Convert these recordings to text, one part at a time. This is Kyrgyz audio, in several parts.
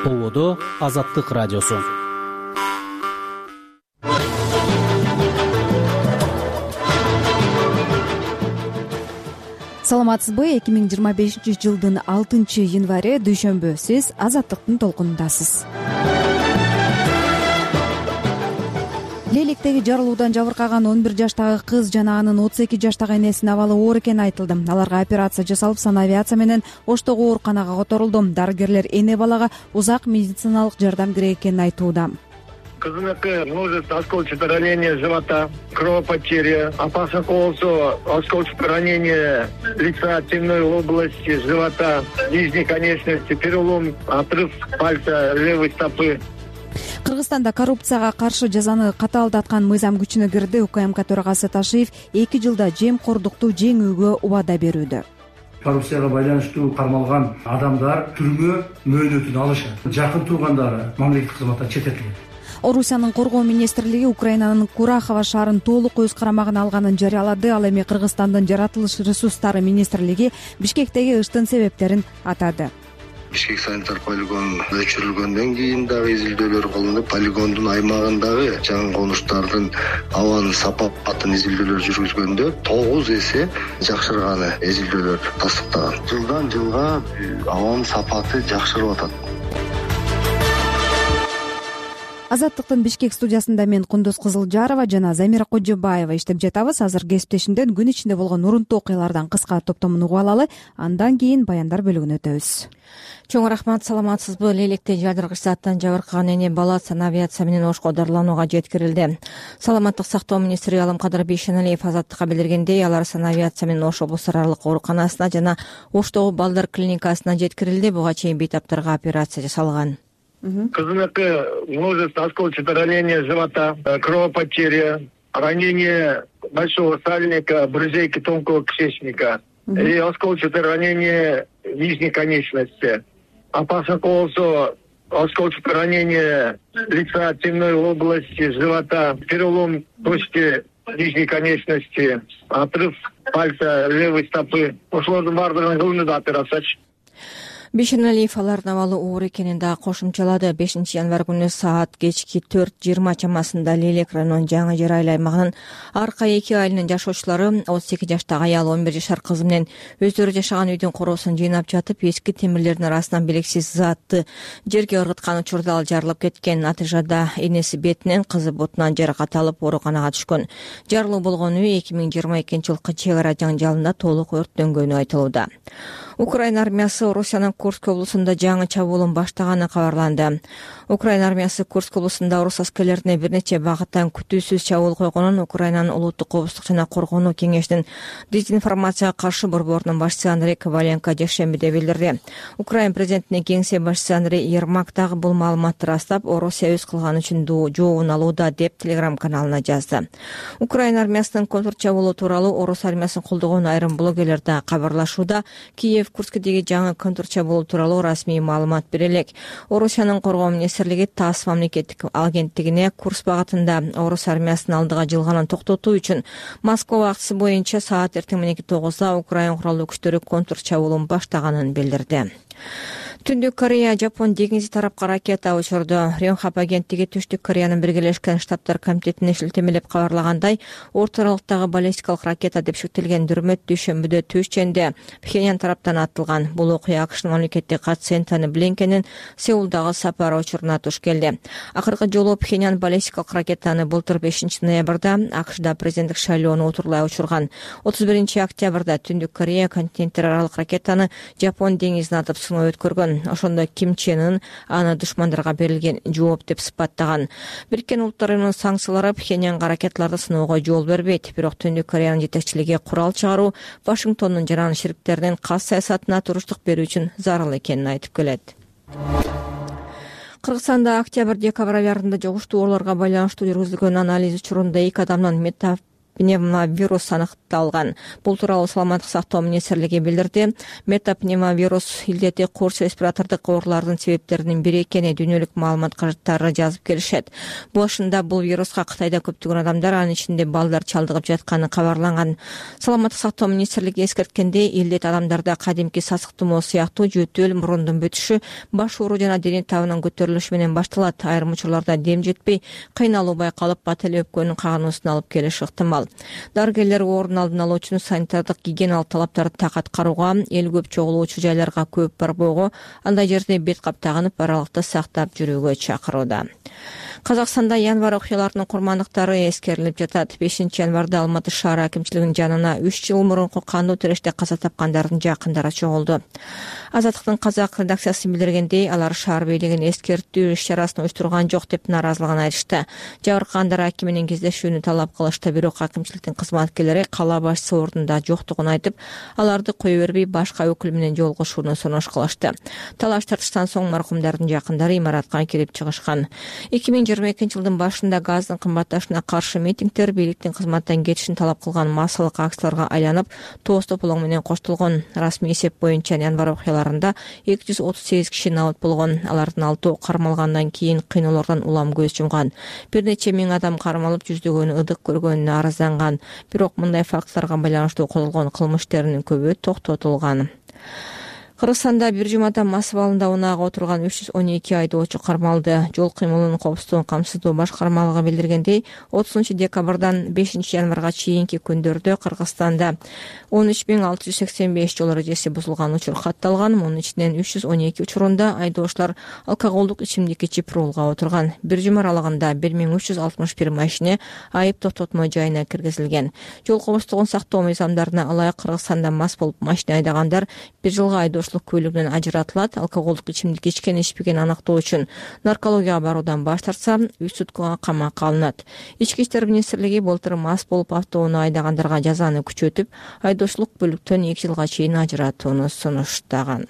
ООД Азаттык радиосу. Саламатсызбы? 2025-жылдын 6-январы дүйшөмбү. Сиз Азаттыктын толкунундасыз. Лелектеги жарылуудан жабыркаган 11 жаштагы кыз жана анын 32 жаштагы энесинин абалы оор экени айтылды. Аларга операция жасалып, санавиация менен Оштогу ооруканага которулду. Дарыгерлер эне балага узак медициналык жардам керек экенин айтууда. Кызыныки множество осколочных ранений живота, кровопотеря, опасно болсо осколочное ранение лица, темной области живота, нижней конечности, перелом, отрыв пальца левой стопы. Кыргызстанда коррупцияга каршы жазаны катаалдаткан мыйзам күчүнө кирди. УКМК төрагасы Ташиев 2 жылда жемкордукту жеңүүгө убада берүүдө. Коррупцияга байланыштуу кармалган адамдар түрмө мөөнөтүн алышат. Жакын туугандары мамлекеттик кызматтан четтетилген. Орусиянын коргоо министрлиги Украинанын Курахова шаарын толук өз карамагына алганын жарыялады. Ал эми Кыргызстандын жаратылыш ресурстары министрлиги Бишкектеги ыштын себептерин атады. Бишкек санитар полигон өчүрүлгөндөн кийин дагы изилдөөлөр кылынып, полигондун аймагындагы жаңы конуштардын абанын сапатын изилдөөлөр жүргүзгөндө 9 эсе жакшырганы изилдөөлөр тастыктаган. Жылдан жылга абанын сапаты жакшырып атат. Азаттыктын Бишкек студиясында мен Кундуз Кызылжарова жана Замира Кожобаева иштеп жатабыз. Азыр кесиптешимден күн ичинде болгон урунттуу окуялардан кыска топтомун угуп алалы, андан кийин баяндар бөлүгүнө өтөбүз. Чоң рахмат, саламатсызбы? Лелекте жардыргыч заттан жабыркаган эне бала санавиация менен Ошко дарыланууга жеткирилди. Саламаттык сактоо министри Алымкадыр Бейшеналиев Азаттыкка билдиргендей, алар санавиация менен Ош облусту аралык ооруканасына жана Оштогу балдар клиникасына жеткирилди. Буга чейин бейтаптарга операция жасалган. Кызыныки множество осколочных ранений живота, кровопотеря, ранение большого сальника, брызейки тонкого кишечника и осколочное ранение нижней конечности. Опасно болсо осколочное ранение лица, темной области живота, перелом точки нижней конечности, отрыв пальца левой стопы. Ошолордун баардыгын кылынды операция. Бейшеналиев алардын абалы оор экенин да кошумчалады. 5 январь күнү саат кечки 4:20 чамасында Лелек районунун Жаңы Жер айыл аймагынын Арка 2 айылынын жашоочулары 32 жаштагы аял 11 жашар кызы менен өздөрү жашаган үйдүн короосун жыйнап жатып, эски темирлердин арасынан белгисиз затты жерге ыргыткан учурда ал жарылып кеткен. Натыйжада энеси бетинен, кызы бутунан жаракат алып ооруканага түшкөн. Жарылуу болгон үй 2022-жылкы чек ара жаңжалында толук өрттөнгөнү айтылууда. Украина армиясы Орусиянын Курск облусунда жаңы чабуулун баштаганы кабарланды. Украина армиясы Курск облусунда орус аскерлерине бир нече багыттан күтүүсүз чабуул койгонун Украинанын улуттук коопсуздук жана коргонуу кеңешинин дезинформацияга каршы борборунун башчысы Андрей Коваленко жекшембиде билдирди. Украина президентинин кеңсе башчысы Андрей Ермак дагы бул маалыматты растап, Орусия өз кылганы үчүн жообун алууда деп телеграм-каналына жазды. Украина армиясынын контрчабуулу тууралуу орус армиясын колдогон айрым блогерлер да кабарлашууда. Киев Курскдеги жаңы контрчабуул тууралуу расмий маалымат бере элек. Орусиянын коргоо министрлиги ТАСС мамлекеттик агенттигине Курск багытында орус армиясынын алдыга жылганын токтотуу үчүн Москва убактысы боюнча саат эртең мененки 9-да Украина куралдуу күчтөрү контрчабуулун баштаганын билдирди. Түндүк Корея Жапон деңизи тарапка ракета учурду. Рёнхап агенттиги Түштүк Кореянын Биргелешкен Штаттар комитетине шилтемелеп кабарлагандай, орталыктагы баллистикалык ракета деп шектелген дүрмөт дүйшөмбүдө Түшченде Пхеньян тараптан атылган. Бул окуя АКШнын мамлекеттик катчысы Энтони Блинкендин Сеулдагы сапары учуруна туш келди. Акыркы жолу Пхеньян баллистикалык ракетаны былтыр 5 ноябрда АКШда президенттик шайлоону утурлай учурган. 31 октябрда Түндүк Корея континенттер аралык ракетаны Жапон деңизине атып сыноо өткөргөн. Ошондо Ким Чен Ын аны душмандарга берилген жооп деп сыпаттаган. Бириккен Улуттар Уюмунун санкциялары Пхеньянга ракеталарды сыноого жол бербейт. Бирок Түндүк Кореянын жетекчилиги курал чыгаруу Вашингтондун жана шериктеринин кас саясатына туруштук берүү үчүн зарыл экенин айтып келет. Кыргызстанда октябрь-декабрь айларында жугуштуу ооруларга байланыштуу жүргүзүлгөн анализ учурунда 2 адамдын метапневмовирус аныкталган. Бул тууралуу саламаттык сактоо министрлиги билдирди. Метапневмовирус илдети курч респиратордук оорулардын себептеринин бири экени дүйнөлүк маалымат каражаттары жазып келишет. Башында бул вируска Кытайда көптөгөн адамдар, анын ичинде балдар чалдыгып жатканы кабарланган. Саламаттык сактоо министрлиги эскерткендей, илдет адамдарда кадимки сасык тумоо сыяктуу жөтөл, мурундун бүтүшү, баш оору жана дене табынын көтөрүлүшү менен башталат. Айрым учурларда дем жетпей, кыйналуу байкалып, бат эле өпкөнүн кагануусун алып келиши ыктымал. Дарыгерлер оорунун алдын алуу үчүн санитардык гигиеналык талаптарды так аткарууга, эл көп чогулуучу жайларга көп барбоого, андай жерде бет кап тагынып, аралыкты сактап жүрүүгө чакырууда. Казакстанда январь окуяларынын курмандыктары эскерилип жатат. 5-январда Алматы шаар акимчилигинин жанына 3 жыл мурунку кандуу тиреште каза тапкандардын жакындары чогулду. Азаттыктын казак редакциясы билдиргендей, алар шаар бийлигин эскертүү иш-чарасын уюштурган жок деп нааразылыгын айтышты. Жабыркагандар аким менен кездешүүнү талап кылышты, бирок акимчиликтин кызматкерлери кала башчысы ордунда жоктугун айтып, аларды кое бербей башка өкүл менен жолугушууну сунуш кылышты. Талаш тартыштан соң маркумдардын жакындары имаратка кирип чыгышкан. 2022-жылдын башында газдын кымбатташына каршы митингдер бийликтин кызматтан кетишин талап кылган массалык акцияларга айланып, тоз тополоң менен коштолгон. Расмий эсеп боюнча январь окуяларында 238 киши набыт болгон. Алардын 6 кармалгандан кийин кыйноолордон улам көз жумган. Бир нече миң адам кармалып, жүздөгөнү ыдык көргөнүнө арызданган. Бирок мындай фактларга байланыштуу козголгон кылмыш иштеринин көбү токтотулган. Кыргызстанда бир жумада мас абалында унаага отурган 312 айдоочу кармалды. Жол кыймылынын коопсуздугун камсыздоо башкармалыгы билдиргендей, 30-декабрдан 5-январга чейинки күндөрдө Кыргызстанда 13685 жол эрежеси бузулган учур катталган. Мунун ичинен 312 учурунда айдоочулар алкоголдук ичимдик ичип рулга отурган. Бир жума аралыгында 1361 машина айып токтотмо жайына киргизилген. Жол коопсуздугун сактоо мыйзамдарына ылайык Кыргызстанда мас болуп машина айдагандар бир жылга айдоочулук көлүгүнөн ажыратылат. Алкоголдук ичимдик ичкен ичпеген аныктоо үчүн наркологияга баруудан баш тартса, 3 суткага камакка алынат. Ички иштер министрлиги былтыр мас болуп автоунаа айдагандарга жазаны күчөтүп, айдоочулук көлүктөн 2 жылга чейин ажыратууну сунуштаган.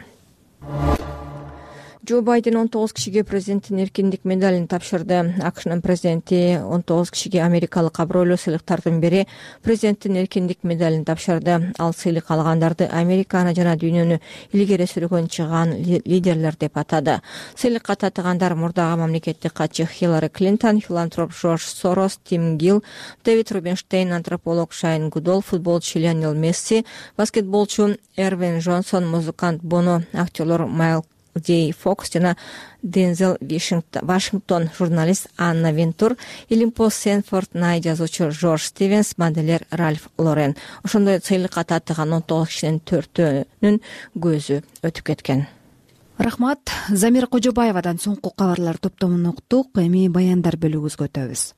Джо Байден 19 кишиге президенттин эркиндик медалин тапшырды. АКШнын президенти 19 кишиге америкалык абройлуу сыйлыктардын бири президенттин эркиндик медалин тапшырды. Ал сыйлык алгандарды Американы жана дүйнөнү илгери сүргөн чыган лидерлер деп атады. Сыйлыкка татыгандар мурдагы мамлекеттик катчы Хиллари Клинтон, филантроп Жорж Сорос, Тим Гилл, Дэвид Рубинштейн, антрополог Шайн Гудол, футболчу Лионел Месси, баскетболчу Эрвин Джонсон, музыкант Боно, актерлор Майл Джей Фокс жана Дензел Вашингтон, журналист Анна Вентур, Илимпо Сенфорд, Най жазуучу Жорж Стивенс, моделер Ральф Лорен. Ошондой сыйлыкка татыган 19 кишинин 4-өнүн көзү өтүп кеткен. Рахмат. Замира Кожобаевадан соңку кабарлар топтомун уктук. Эми баяндар бөлүгүбүзгө өтөбүз.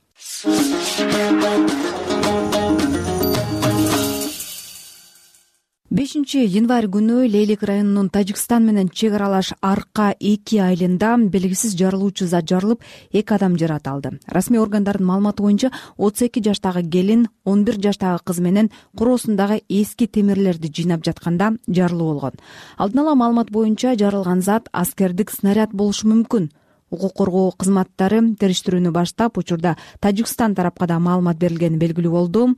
5-январь күнү Лейлик районунун Тажикстан менен чек аралаш Арка 2 айылында белгисиз жарылуучу зат жарылып, 2 адам жаракат алды. Расмий органдардын маалыматы боюнча 32 жаштагы келин 11 жаштагы кыз менен короосундагы эски темирлерди жыйнап жатканда жарылуу болгон. Алдын ала маалымат боюнча жарылган зат аскердик снаряд болушу мүмкүн. Укук коргоо кызматтары териштирүүнү баштап, учурда Тажикстан тарапка да маалымат берилгени белгилүү болду.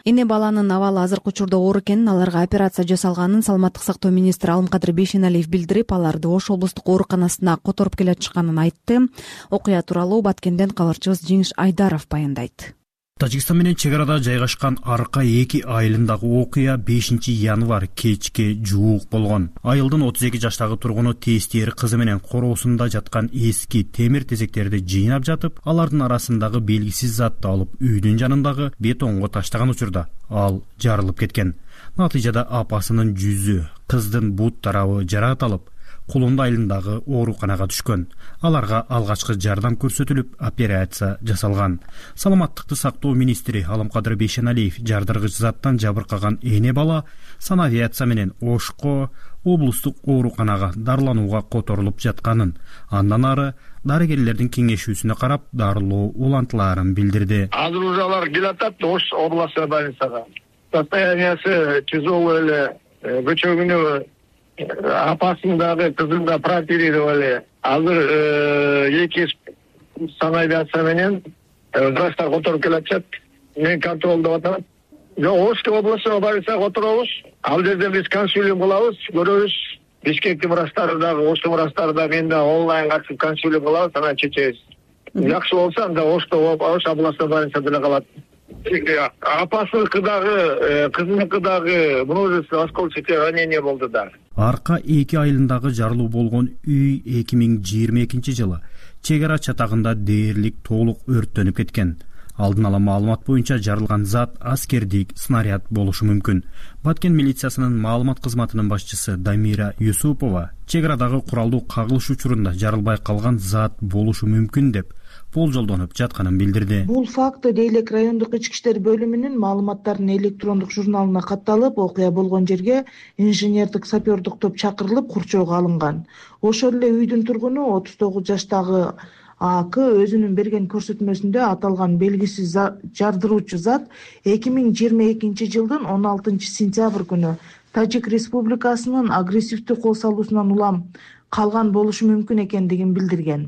Эне баланын абалы азыркы учурда оор экенин, аларга операция жасалганын саламаттык сактоо министри Алымкадыр Бейшеналиев билдирип, аларды Ош облустук ооруканасына которуп келе жатышканын айтты. Окуя тууралуу Баткенден кабарчыбыз Жеңиш Айдаров баяндайт. Тажикстан менен чек арада жайгашкан Арка 2 айылындагы окуя 5-январь кечке жуук болгон. Айылдын 32 жаштагы тургуну тестери кызы менен короосунда жаткан эски темир тезектерди жыйнап жатып, алардын арасындагы белгисиз затты алып үйдүн жанындагы бетонго таштаган учурда ал жарылып кеткен. Натыйжада апасынын жүзү, кыздын бут тарабы жаракат алып, Кулунду айылындагы ооруканага түшкөн. Аларга алгачкы жардам көрсөтүлүп, операция жасалган. Саламаттыкты сактоо министри Алымкадыр Бейшеналиев жардыргыч заттан жабыркаган эне бала санавиация менен Ошко облустук ооруканага дарыланууга которулуп жатканын, андан ары дарыгерлердин кеңешүүсүнө карап дарылоо улантылаарын билдирди. Азыр уже алар келатат Ош областной больницага. Состояниясы тяжелое эле, көчөгүнө апасындагы кызын да прооперировали. Азыр эки санавиация менен врачтар которуп келатышат. мен контролдоп атам. Ошто областына барсак отуробуз. Ал жерде биз консилиум кылабыз, көрөбүз. Бишкектин врачтары дагы, Ошто врачтары да мен да онлайн катышып консилиум кылабыз, анан чечебиз. Жакшы болсо анда Ошто областына барса деле калат. Апасыныкы дагы, кызыныкы дагы множество осколочных ранений болду да. Арка 2 айылындагы жарылуу болгон үй 2022-жылы чек ара чатагында дээрлик толук өрттөнүп кеткен. Алдын ала маалымат боюнча жарылган зат аскердик снаряд болушу мүмкүн. Баткен милициясынын маалымат кызматынын башчысы Дамира Юсупова чек арадагы куралдуу кагылыш учурунда жарылбай калган зат болушу мүмкүн деп болжолдонуп жатканын билдирди. Бул факты Дейлек райондук ички иштер бөлүмүнүн маалыматтарынын электрондук журналына катталып, окуя болгон жерге инженердик сапердик топ чакырылып, курчоого алынган. Ошол эле үйдүн тургуну 39 жаштагы АК өзүнүн берген көрсөтмөсүндө аталган белгисиз жардыруучу зат 2022-жылдын 16-сентябрь күнү Тажик Республикасынын агрессивдүү кол салуусунан улам калган болушу мүмкүн экендигин билдирген.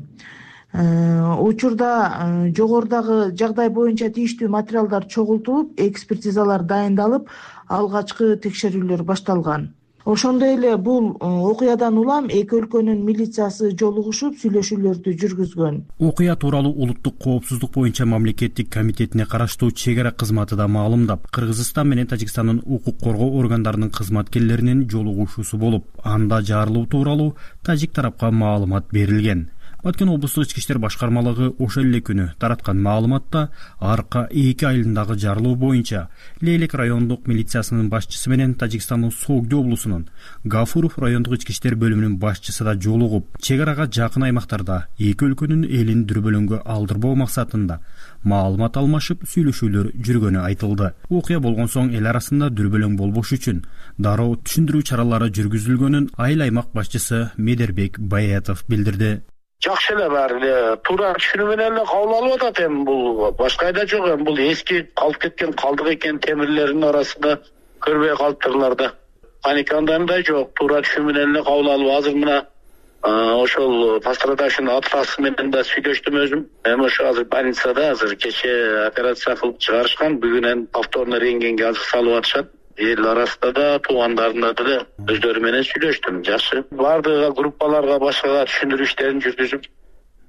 Учурда жогорудагы жагдай боюнча тийиштүү материалдар чогултулуп, экспертизалар дайындалып, алгачкы текшерүүлөр башталган. Ошондой эле бул окуядан улам эки өлкөнүн милициясы жолугушуп сүйлөшүүлөрдү жүргүзгөн. Окуя тууралуу улуттук коопсуздук боюнча мамлекеттик комитетине караштуу чек ара кызматы да маалымдап, Кыргызстан менен Тажикстандын укук коргоо органдарынын кызматкерлеринин жолугушуусу болуп, анда жарылуу тууралуу тажик тарапка маалымат берилген. Баткен облустук ички иштер башкармалыгы ошол эле күнү тараткан маалыматта Арка 2 айылындагы жарылуу боюнча Лейлек райондук милициясынын башчысы менен Тажикстандын Согди облусунун Гафуров райондук ички иштер бөлүмүнүн башчысы да жолугуп, чек арага жакын аймактарда эки өлкөнүн элин дүрбөлөңгө алдырбоо максатында маалымат алмашып сүйлөшүүлөр жүргөнү айтылды. Окуя болгон соң эл арасында дүрбөлөң болбош үчүн дароо түшүндүрүү чаралары жүргүзүлгөнүн айыл аймак башчысы Медербек Баятов билдирди. Жакшы эле баары туура түшүнүү менен эле кабыл алып атат. Эми бул башка айда жок, эми бул эски калып кеткен калдык экен, темирлердин арасында көрбөй калыптырлар да. Паникандай жок, туура түшүнүү менен эле кабыл алып, азыр мына ошол пострадавшийдин атасы менен да сүйлөштүм өзүм. Эми ошо азыр больницада, азыр кече операция кылып чыгарышкан, бүгүнөн повторно рентгенге азыр салып атышат. Эл арасында да, туугандарына деле өздөрү менен сүйлөштүм. Жакшы. Бардыгы группаларга, башкага түшүндүрүү иштерин жүргүзүп,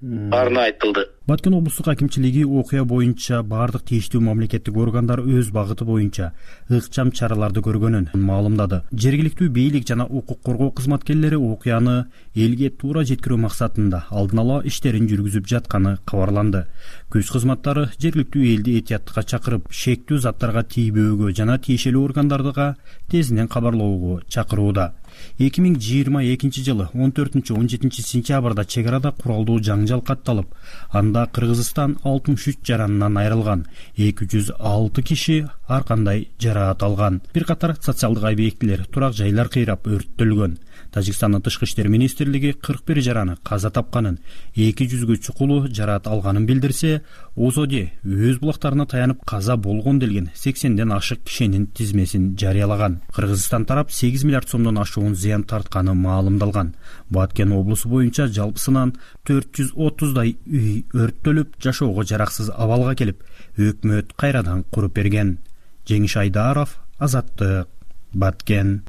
баарына айтылды. Баткен облустук акимчилиги окуя боюнча бардык тийиштүү мамлекеттик органдар өз багыты боюнча ыкчам чараларды көргөнүн маалымдады. Жергиликтүү бийлик жана укук коргоо кызматкерлери окуяны элге туура жеткирүү максатында алдын ала иштерин жүргүзүп жатканы кабарланды. Көз кызматтары жергиликтүү элди этияттыкка чакырып, шектүү заттарга тийбөөгө жана тиешелүү органдарга тезинен кабарлоого чакырууда. 2022-жылы 14-17 сентябрда чек арада куралдуу жаңжал катталып, анда Кыргызстан 63 жаранынан айрылган, 206 киши ар кандай жараат алган. Бир катар социалдык объектилер, турак жайлар кыйрап өрттөлгөн. Тажикстандын тышкы иштер министрлиги 41 жараны каза тапканын, 200гө чукулу жараат алганын билдирсе, ОЗОД өз булактарына таянып каза болгон делген 80ден ашык кишинин тизмесин жарыялаган. Кыргызстан тарап 8 миллиард сомдон ашуун зыян тартканы маалымдалган. Баткен облусу боюнча жалпысынан 430дай үй өрттөлүп, жашоого жараксыз абалга келип, өкмөт кайрадан куруп берген. Жеңиш Айдаров, Азаттык, Баткен.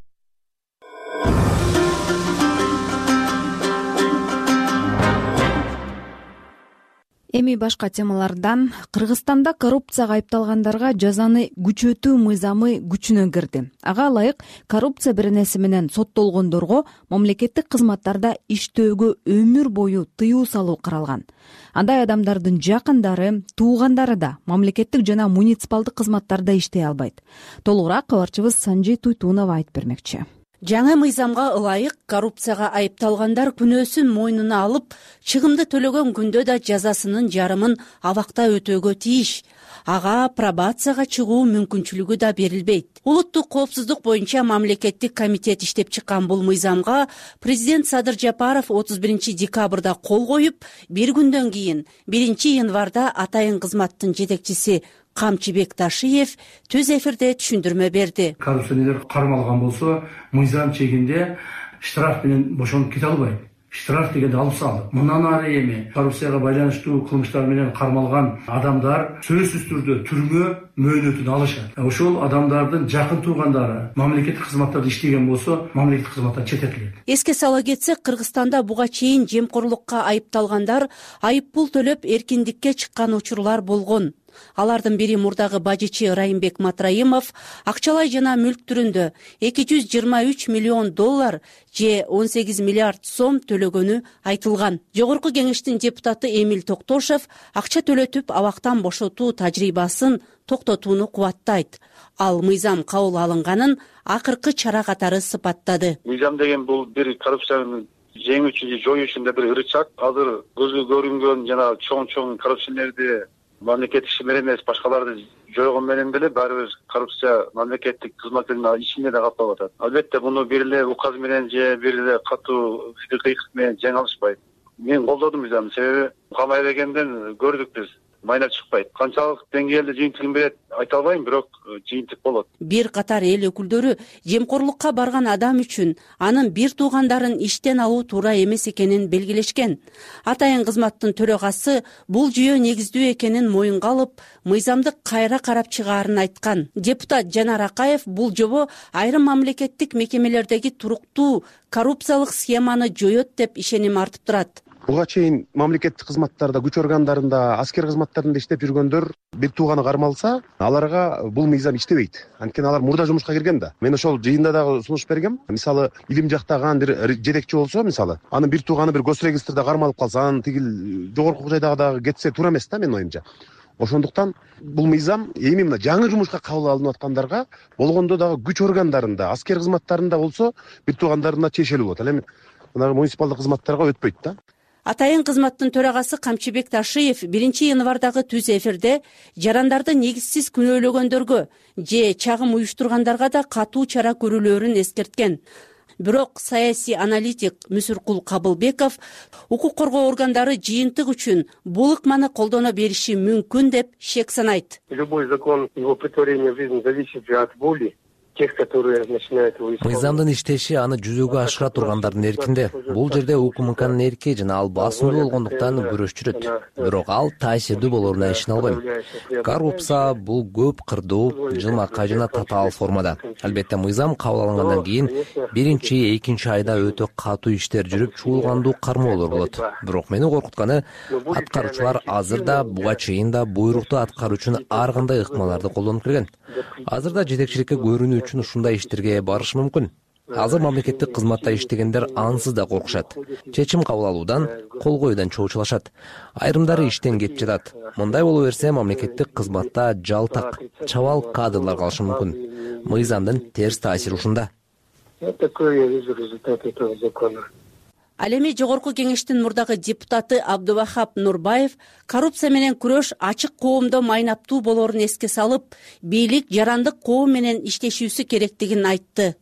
Эми башка темалардан. Кыргызстанда коррупцияга айыпталгандарга жазаны күчөтүү мыйзамы күчүнө кирди. Ага ылайык коррупция беренеси менен соттолгондорго мамлекеттик кызматтарда иштөөгө өмүр бою тыюу салуу каралган. Андай адамдардын жакындары, туугандары да мамлекеттик жана муниципалдык кызматтарда иштей албайт. Толугураак кабарчыбыз Санжей Туйтунова айтып бермекчи. Жаңы мыйзамга ылайык коррупцияга айыпталгандар күнөөсүн мойнуна алып, чыгымды төлөгөн күндө да жазасынын жарымын абакта өтөөгө тийиш. Ага пробацияга чыгуу мүмкүнчүлүгү да берилбейт. Улуттук коопсуздук боюнча мамлекеттик комитет иштеп чыккан бул мыйзамга президент Садыр Жапаров 31-декабрда кол коюп, бир күндөн кийин 1-январда атайын кызматтын жетекчиси Камчыбек Ташиев түз эфирде түшүндүрмө берди. Коррупционерлер кармалган болсо, мыйзам чегинде штраф менен бошонуп кете албайт. штраф дегенди алып салдык. Мындан ары эми коррупцияга байланыштуу кылмыштар менен кармалган адамдар сөзсүз түрдө түрмө мөөнөтүн алышат. Ошол адамдардын жакын туугандары мамлекеттик кызматтарда иштеген болсо, мамлекеттик кызматтан четтетилет. Эске сала кетсек, Кыргызстанда буга чейин жемкорлукка айыпталгандар айып пул төлөп эркиндикке чыккан учурлар болгон. Алардын бири мурдагы бажычы Райымбек Матраимов акчалай жана мүлк түрүндө 223 миллион доллар же 18 миллиард сом төлөгөнү айтылган. Жогорку кеңештин депутаты Эмил Токтошев акча төлөтүп абактан бошотуу тажрыйбасын токтотууну кубаттайт. Ал мыйзам кабыл алынганын акыркы чара катары сыпаттады. Мыйзам деген бул бир коррупцияны жеңүү үчүн же жоюу үчүн бир ырычак. Азыр көзгө көрүнгөн жана чоң коррупционерди мамлекет иши менен эмес, башкаларды жойгон менен деле баары бир коррупция мамлекеттик кызматкерлердин ичинде да каптап атат. Албетте муну бир эле указ менен же бир эле катуу кыйкык менен жеңе алышпайт. Мен колдодум мыйзамды, себеби камай бергенден көрдүк биз. Майнап чыкпайт. Канчалык деңгээлде жыйынтыгын берет айта албайм, бирок жыйынтык болот. Бир катар эл өкүлдөрү жемкорлукка барган адам үчүн анын бир туугандарын иштен алуу туура эмес экенин белгилешкен. Атайын кызматтын төрагасы бул жүйө негиздүү экенин моюнга алып, мыйзамды кайра карап чыгаарын айткан. Депутат Жанар Акаев бул жобо айрым мамлекеттик мекемелердеги туруктуу коррупциялык схеманы жоет деп ишеним артып турат. Буга чейин мамлекеттик кызматтарда, күч органдарында, аскер кызматтарында иштеп жүргөндөр бир тууганы кармалса, аларга бул мыйзам иштебейт. Анткени алар мурда жумушка кирген да. Мен ошол жыйында дагы сунуш бергем. Мисалы, илим жактаган бир жетекчи болсо, мисалы, анын бир тууганы бир госрегистрде кармалып калса, анын тигил жогорку жайдагы дагы кетсе туура эмес да, менин оюмча. Ошондуктан бул мыйзам эми мына жаңы жумушка кабыл алынып аткандарга болгондо дагы күч органдарында, аскер кызматтарында болсо, бир туугандарына тиешелүү болот. Ал эми мына муниципалдык кызматтарга өтпөйт да. Атайын кызматтын төрагасы Камчыбек Ташиев 1-январдагы түз эфирде жарандарды негизсиз күнөөлөгөндөргө же чагым уюштургандарга да катуу чара көрүлөөрүн эскерткен. Бирок саясий аналитик Мүсүркул Кабылбеков укук коргоо органдары жыйынтык үчүн бул ыкманы колдоно бериши мүмкүн деп шек санайт. Любой закон, его претворение в жизнь зависит от воли. Мыйзамдын иштеши аны жүзөгө ашыра тургандардын эркинде. Бул жерде УКМКнын эрки жана ал басымдуу болгондуктан күрөш жүрөт. Бирок ал таасирдүү болоруна ишене албайм. Коррупция бул көп кырдуу, жылмакай жана татаал формада. Албетте мыйзам кабыл алынгандан кийин 1-2 айда өтө катуу иштер жүрүп, чуулгандуу кармоолор болот. Бирок мени коркутканы аткаруучулар азыр да буга чейин да буйрукту аткаруу үчүн ар кандай ыкмаларды колдонуп келген. Азыр да жетекчиликке көрүнүү үчүн ушундай иштерге барыш мүмкүн. Азыр мамлекеттик кызматта иштегендер ансыз да коркушат. Чечим кабыл алуудан, кол коюудан чоочулашат. Айрымдары иштен кетип жатат. Мындай боло берсе мамлекеттик кызматта жалтак, чабал кадрлар калышы мүмкүн. Мыйзамдын терс таасири ушунда. Ал эми жогорку кеңештин мурдагы депутаты Абдувахап Нурбаев коррупция менен күрөш ачык коомдо майнаптуу болоорун эске салып, бийлик жарандык коом менен иштешүүсү керектигин айтты.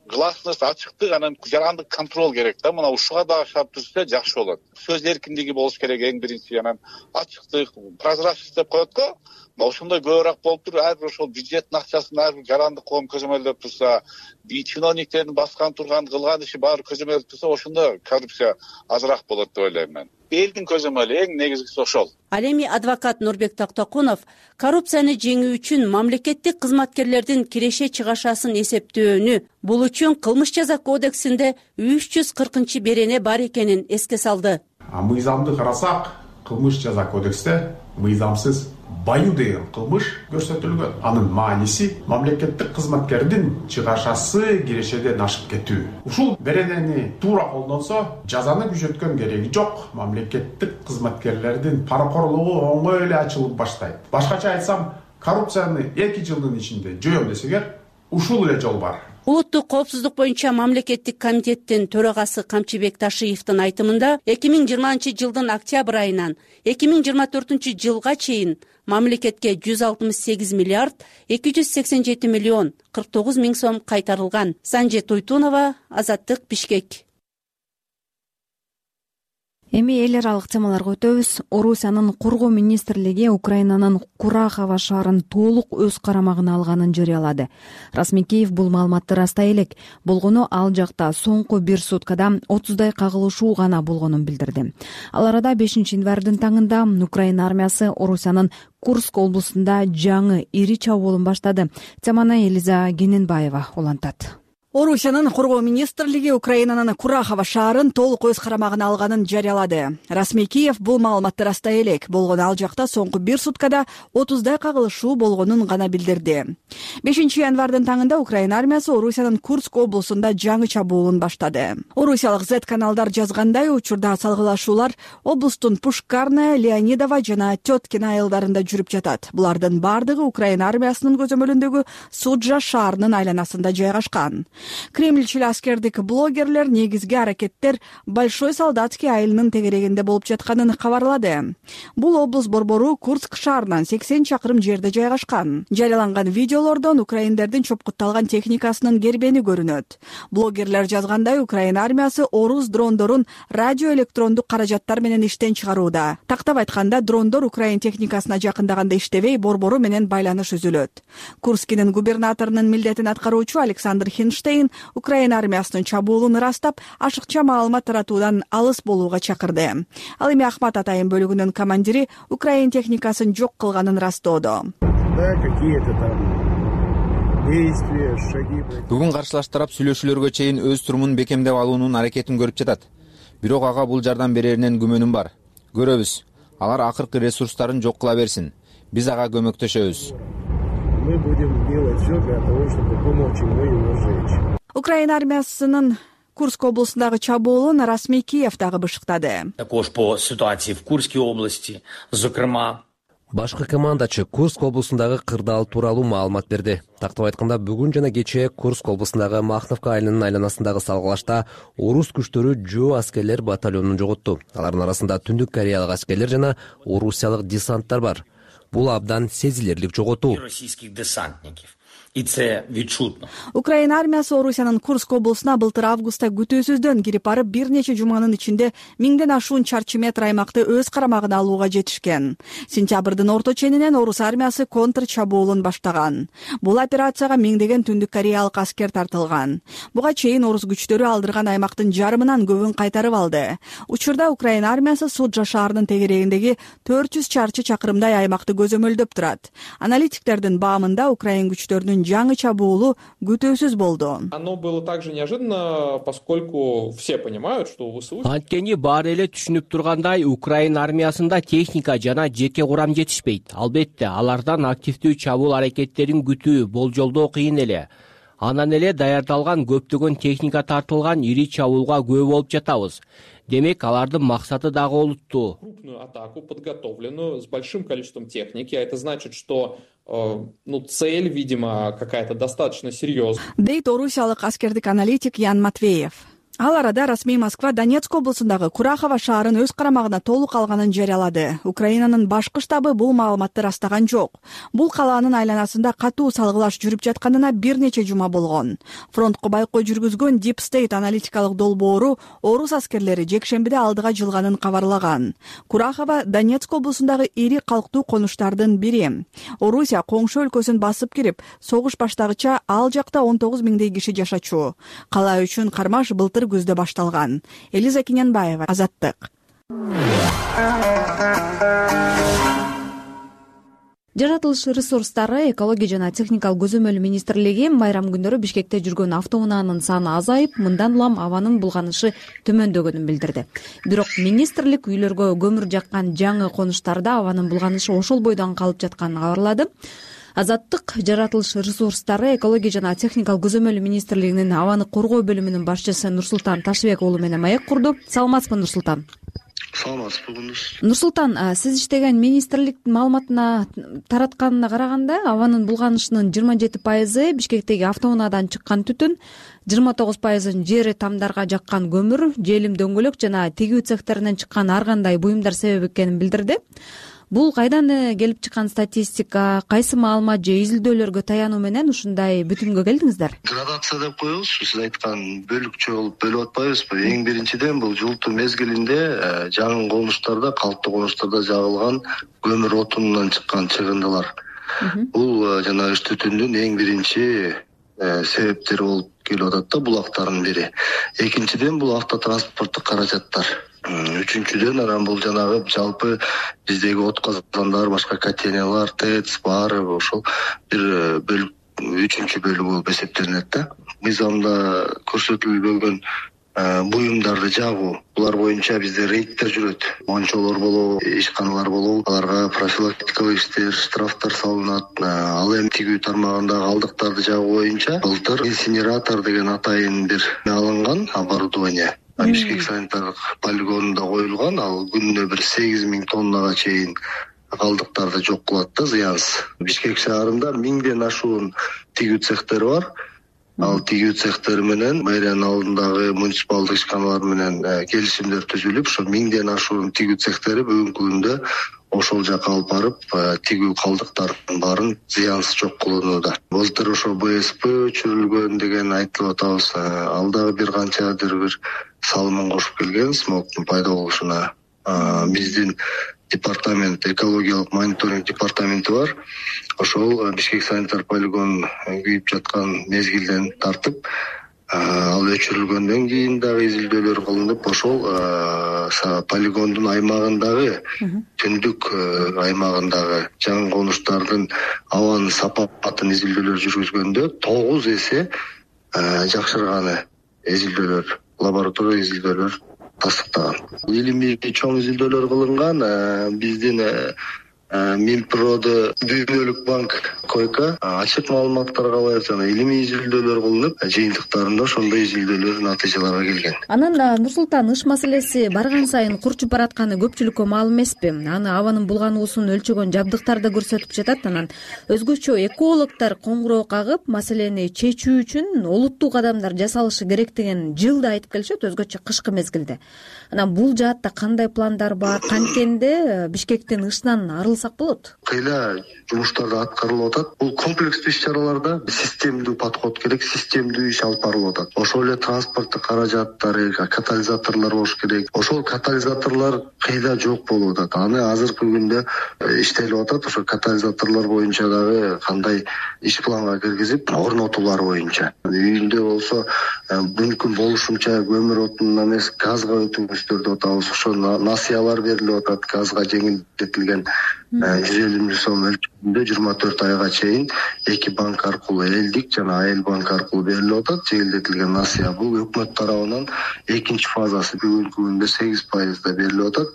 Гласность, ачыктык, анан жарандык контроль керек да. Мына ушуга дагы шарт түзүлсө жакшы болот. Сөз эркиндиги болуш керек эң биринчи, анан ачыктык, прозрачность деп коет го. Ошондой көбүрөөк болуп туруп, ар бир ошол бюджеттин акчасын ар бир жарандык коом көзөмөлдөп турса, чиновниктердин баскан турган кылган иши баары көзөмөлдөп турса, ошондо коррупция азыраак болот деп ойлойм мен. Элдин көзөмөлү эң негизгиси ошол. Ал эми адвокат Нурбек Токтокунов коррупцияны жеңүү үчүн мамлекеттик кызматкерлердин киреше чыгашасын эсептөөнү, бул үчүн кылмыш жаза кодексинде 340 берене бар экенин эске салды. Мыйзамды карасак, кылмыш жаза кодексте мыйзамсыз баю деген кылмыш көрсөтүлгөн. Анын мааниси мамлекеттик кызматкердин чыгашасы кирешеден ашып кетүү. Ушул беренени туура колдонсо, жазаны күчөткөн кереги жок. Мамлекеттик кызматкерлердин паракорлугу оңой эле ачылып баштайт. Башкача айтсам, коррупцияны 2 жылдын ичинде жоём десеңер, ушул эле жол бар. Улуттук коопсуздук боюнча мамлекеттик комитеттин төрагасы Камчыбек Ташиевдин айтымында 2020-жылдын октябрь айынан 2024 жылга чейин мамлекетке 168 миллиард 287 миллион 49 миң сом кайтарылган. Санже Туйтунова, Азаттык, Бишкек. Эми эл аралык темаларга өтөбүз. Орусиянын Коргоо министрлиги Украинанын Курахова шаарын толук өз карамагына алганын жарыялады. Расмий Киев бул маалыматты растай элек. Болгону ал жакта соңку бир суткада 30дай кагылышуу гана болгонун билдирди. Ал арада 5-январдын таңында Украина армиясы Орусиянын Курск облусунда жаңы ири чабуулун баштады. Теманы Элиза Гененбаева улантат. Орусиянын Коргоо министрлиги Украинанын Курахова шаарын толук өз карамагына алганын жарыялады. Расмий Киев бул маалыматты растай элек. Болгону ал жакта соңку бир суткада 30дай кагылышуу болгонун гана билдирди. 5-январдын таңында Украина армиясы Орусиянын Курск облусунда жаңы чабуулун баштады. Орусиялык Z каналдар жазгандай, учурда салгылашуулар облустун Пушкарная, Леонидова жана Теткин айылдарында жүрүп жатат. Булардын бардыгы Украина армиясынын көзөмөлүндөгү Суджа шаарынын айланасында жайгашкан. Кремльчил аскердик блогерлер негизги аракеттер Большой Солдатский айылынын тегерегинде болуп жатканын кабарлады. Бул облус борбору Курск шаарынан 80 чакырым жерде жайгашкан. Жарыяланган видеолордон украиндердин чопкутталган техникасынын кербени көрүнөт. Блогерлер жазгандай, Украина армиясы орус дрондорун радиоэлектрондук каражаттар менен иштен чыгарууда. Тактап айтканда, дрондор Украин техникасына жакындаганда иштебей, борбору менен байланыш үзүлөт. Курскинин губернаторунун милдетин аткаруучу Александр Хинштейн Украина армиясынын чабуулун ырастап, ашыкча маалымат таратуудан алыс болууга чакырды. Ал эми Ахмат Атайын бөлүгүнүн командири Украин техникасын жок кылганын растоодо. Бүгүн каршылаш тарап сүйлөшүүлөргө чейин өз турумун бекемдеп алуунун аракетин көрүп жатат. Бирок ага бул жардам береринен күмөнүм бар. Көрөбүз. Алар акыркы ресурстарын жок кыла берсин. Биз ага көмөктөшөбүз. Мы будем делать все для того, чтобы помочь ему его сжечь. Украина армиясынын Курск облусундагы чабуулун Расмий Киев дагы бышыктады. Також по ситуации в Курской области, зокрема. Башкы командачы Курск облусундагы кырдаал тууралуу маалымат берди. Тактап айтканда, бүгүн жана кечээ Курск облусундагы Махновка айылынын айланасындагы салгылашта орус күчтөрү жөө аскерлер батальонун жоготту. Алардын арасында Түндүк Кореялык аскерлер жана орусиялык десанттар бар. Бул абдан сезилерлик жоготуу. Российских десантников. И це відчутно. Украина армиясы Орусиянын Курск облусуна былтыр августта күтүүсүздөн кирип барып, бир нече жуманын ичинде 1000ден ашуун чарчы метр аймакты өз карамагына алууга жетишкен. Сентябрдын орто ченинен орус армиясы контр чабуулун баштаган. Бул операцияга 1000деген Түндүк Кореялык аскер тартылган. Буга чейин орус күчтөрү алдырган аймактын жарымынан көбүн кайтарып алды. Учурда Украина армиясы Суджа шаарынын тегерегиндеги 400 чарчы чакырымдай аймакты көзөмөлдөп турат. Аналитиктердин баамында Украин күчтөрүнүн жаңы чабуулу күтүүсүз болду. Оно было также неожиданно, поскольку все понимают, что ВСУ... Анткени баары эле түшүнүп тургандай, Украина армиясында техника жана жеке курам жетишпейт. Албетте, алардан активдүү чабуул аракеттерин күтүү, болжолдоо кыйын эле. Анан эле даярдалган көптөгөн техника тартылган ири чабуулга күбө болуп жатабыз. Демек, алардын максаты дагы олуттуу. Крупную атаку, подготовленную, с большим количеством техники. А это значит, что цель, видимо, какая-то достаточно серьезная. Дейт орусиялык аскердик аналитик Ян Матвеев. Ал арада расмий Москва Донецк облусундагы Курахова шаарын өз карамагына толук алганын жарыялады. Украинанын башкы штабы бул маалыматты растаган жок. Бул калаанын айланасында катуу салгылаш жүрүп жатканына бир нече жума болгон. Фронтко байкоо жүргүзгөн Deep State аналитикалык долбоору орус аскерлери жекшембиде алдыга жылганын кабарлаган. Курахова Донецк облусундагы ири калктуу конуштардын бири. Орусия коңшу өлкөсүн басып кирип, согуш баштагыча ал жакта 19 миңдей киши жашачу. Кала үчүн кармаш былтыр күздө башталган. Элиза Гененбаева, Азаттык. Жаратылыш ресурстары, экология жана техникалык көзөмөл министрлиги майрам күндөрү Бишкекте жүргөн автоунаанын саны азайып, мындан улам абанын булганышы төмөндөгөнүн билдирди. Бирок министрлик үйлөргө көмүр жаккан жаңы конуштарда абанын булганышы ошол бойдон калып жатканын кабарлады. Азаттык жаратылыш ресурстары, экология жана техникалык көзөмөл министрлигинин абаны коргоо бөлүмүнүн башчысы Нурсултан Ташбек уулу менен маек курду. Саламатсызбы, Нурсултан? Саламатсызбы. Нурсултан, сиз иштеген министрлик маалыматына таратканына караганда, абанын булганышынын 27% Бишкектеги автоунаадан чыккан түтүн, 29% жери тамдарга жаккан көмүр, желим дөңгөлөк жана тигүү цехтеринен чыккан ар кандай буюмдар себеп экенин билдирди. Бул кайдан келип чыккан статистика, кайсы маалымат же изилдөөлөргө таянуу менен ушундай бүтүмгө келдиңиздер? Градация деп коебузбу, сиз айткан бөлүкчө болуп бөлүп атпайбызбы? Эң биринчиден бул жылытуу мезгилинде жаңы конуштарда, калктуу конуштарда жагылган көмүр отунунан чыккан чыгындылар. Бул жана ыш түтүндүн эң биринчи себептери болуп келип атат да, булактардын бири. Экинчиден бул автотранспорттук каражаттар. Үчүнчүдөн анан бул жанагы жалпы биздеги от казандар, башка котельниялар, ТЭЦ баары ошол бир үчүнчү бөлүгү болуп эсептелинет да. Мыйзамда көрсөтүлбөгөн буюмдарды жагуу, булар боюнча бизде рейдтер жүрөт. Мончолор болобу, ишканалар болобу, аларга профилактикалык иштер, штрафтар салынат. Ал эми тигүү тармагындагы калдыктарды жагуу боюнча былтыр инсинератор деген атайын бир алынган оборудование. Бишкек санитардык полигонунда коюлган, ал күнүнө бир 8000 тоннага чейин калдыктарды жок кылат да, зыянсыз. Бишкек шаарында 1000ден ашуун тигүү цехтери бар. Ал тигүү цехтери менен мэриянын алдындагы муниципалдык ишканалар менен келишимдер түзүлүп, ошо 1000ден ашуун тигүү цехтери бүгүнкү күндө ошол жака алып барып, тигүү калдыктардын баарын зыянсыз жок кылууда. Былтыр ошо БСП өчүрүлгөн деген айтылып атабыз. Ал дагы бир канчадыр бир салымын кошуп келген смогтун пайда болушуна. Биздин департамент, экологиялык мониторинг департаменти бар. Ошол Бишкек санитар полигон күйүп жаткан мезгилден тартып, ал өчүрүлгөндөн кийин дагы изилдөөлөр кылынып, ошол полигондун аймагындагы, түндүк аймагындагы жаңы конуштардын абанын сапатын изилдөөлөр жүргүзгөндө 9 эсе жакшырганы изилдөөлөр, лаборатория изилдөөлөр тастыктаган. Илимий чоң изилдөөлөр кылынган. Биздин Минпроды дүйнөлүк банк койка ачык маалыматтарга ылайык жана илимий изилдөөлөр кылынып, жыйынтыктарында ошондой изилдөөлөр натыйжаларга келген. Анан Нурсултан, ыш маселеси барган сайын курчуп баратканы көпчүлүккө маалым эмеспи? Аны абанын булгануусун өлчөгөн жабдыктар да көрсөтүп жатат. Анан өзгөчө экологдор коңгуроо кагып, маселени чечүү үчүн олуттуу кадамдар жасалышы керек деген жылда айтып келишет, өзгөчө кышкы мезгилде. Анан бул жаатта кандай пландар бар? Канткенде Бишкектин ышынан арылсак болот? Кыйла жумуштарды аткарылып атат. Бул комплекстүү иш-чараларда системдүү подход керек, системдүү иш алып барылып атат. Ошол эле транспорттук каражаттары, катализаторлор болуш керек. Ошол катализаторлор кыйла жок болуп атат. Аны азыркы күндө иштелип атат. Ошо катализаторлор боюнча дагы кандай иш планга киргизип, орнотуулар боюнча. Үйүндө болсо мүмкүн болушунча көмүр отунунан эмес, газга өтүңүздөр деп атабыз. Ошо насыялар берилип атат, газга жеңилдетилген 150 сом өлчөмүндө 24 айга чейин 2 банк аркылуу, элдик жана айыл банк аркылуу берилип атат. Жеңилдетилген насыя бул өкмөт тарабынан экинчи фазасы бүгүнкү күндө 8% берилип атат.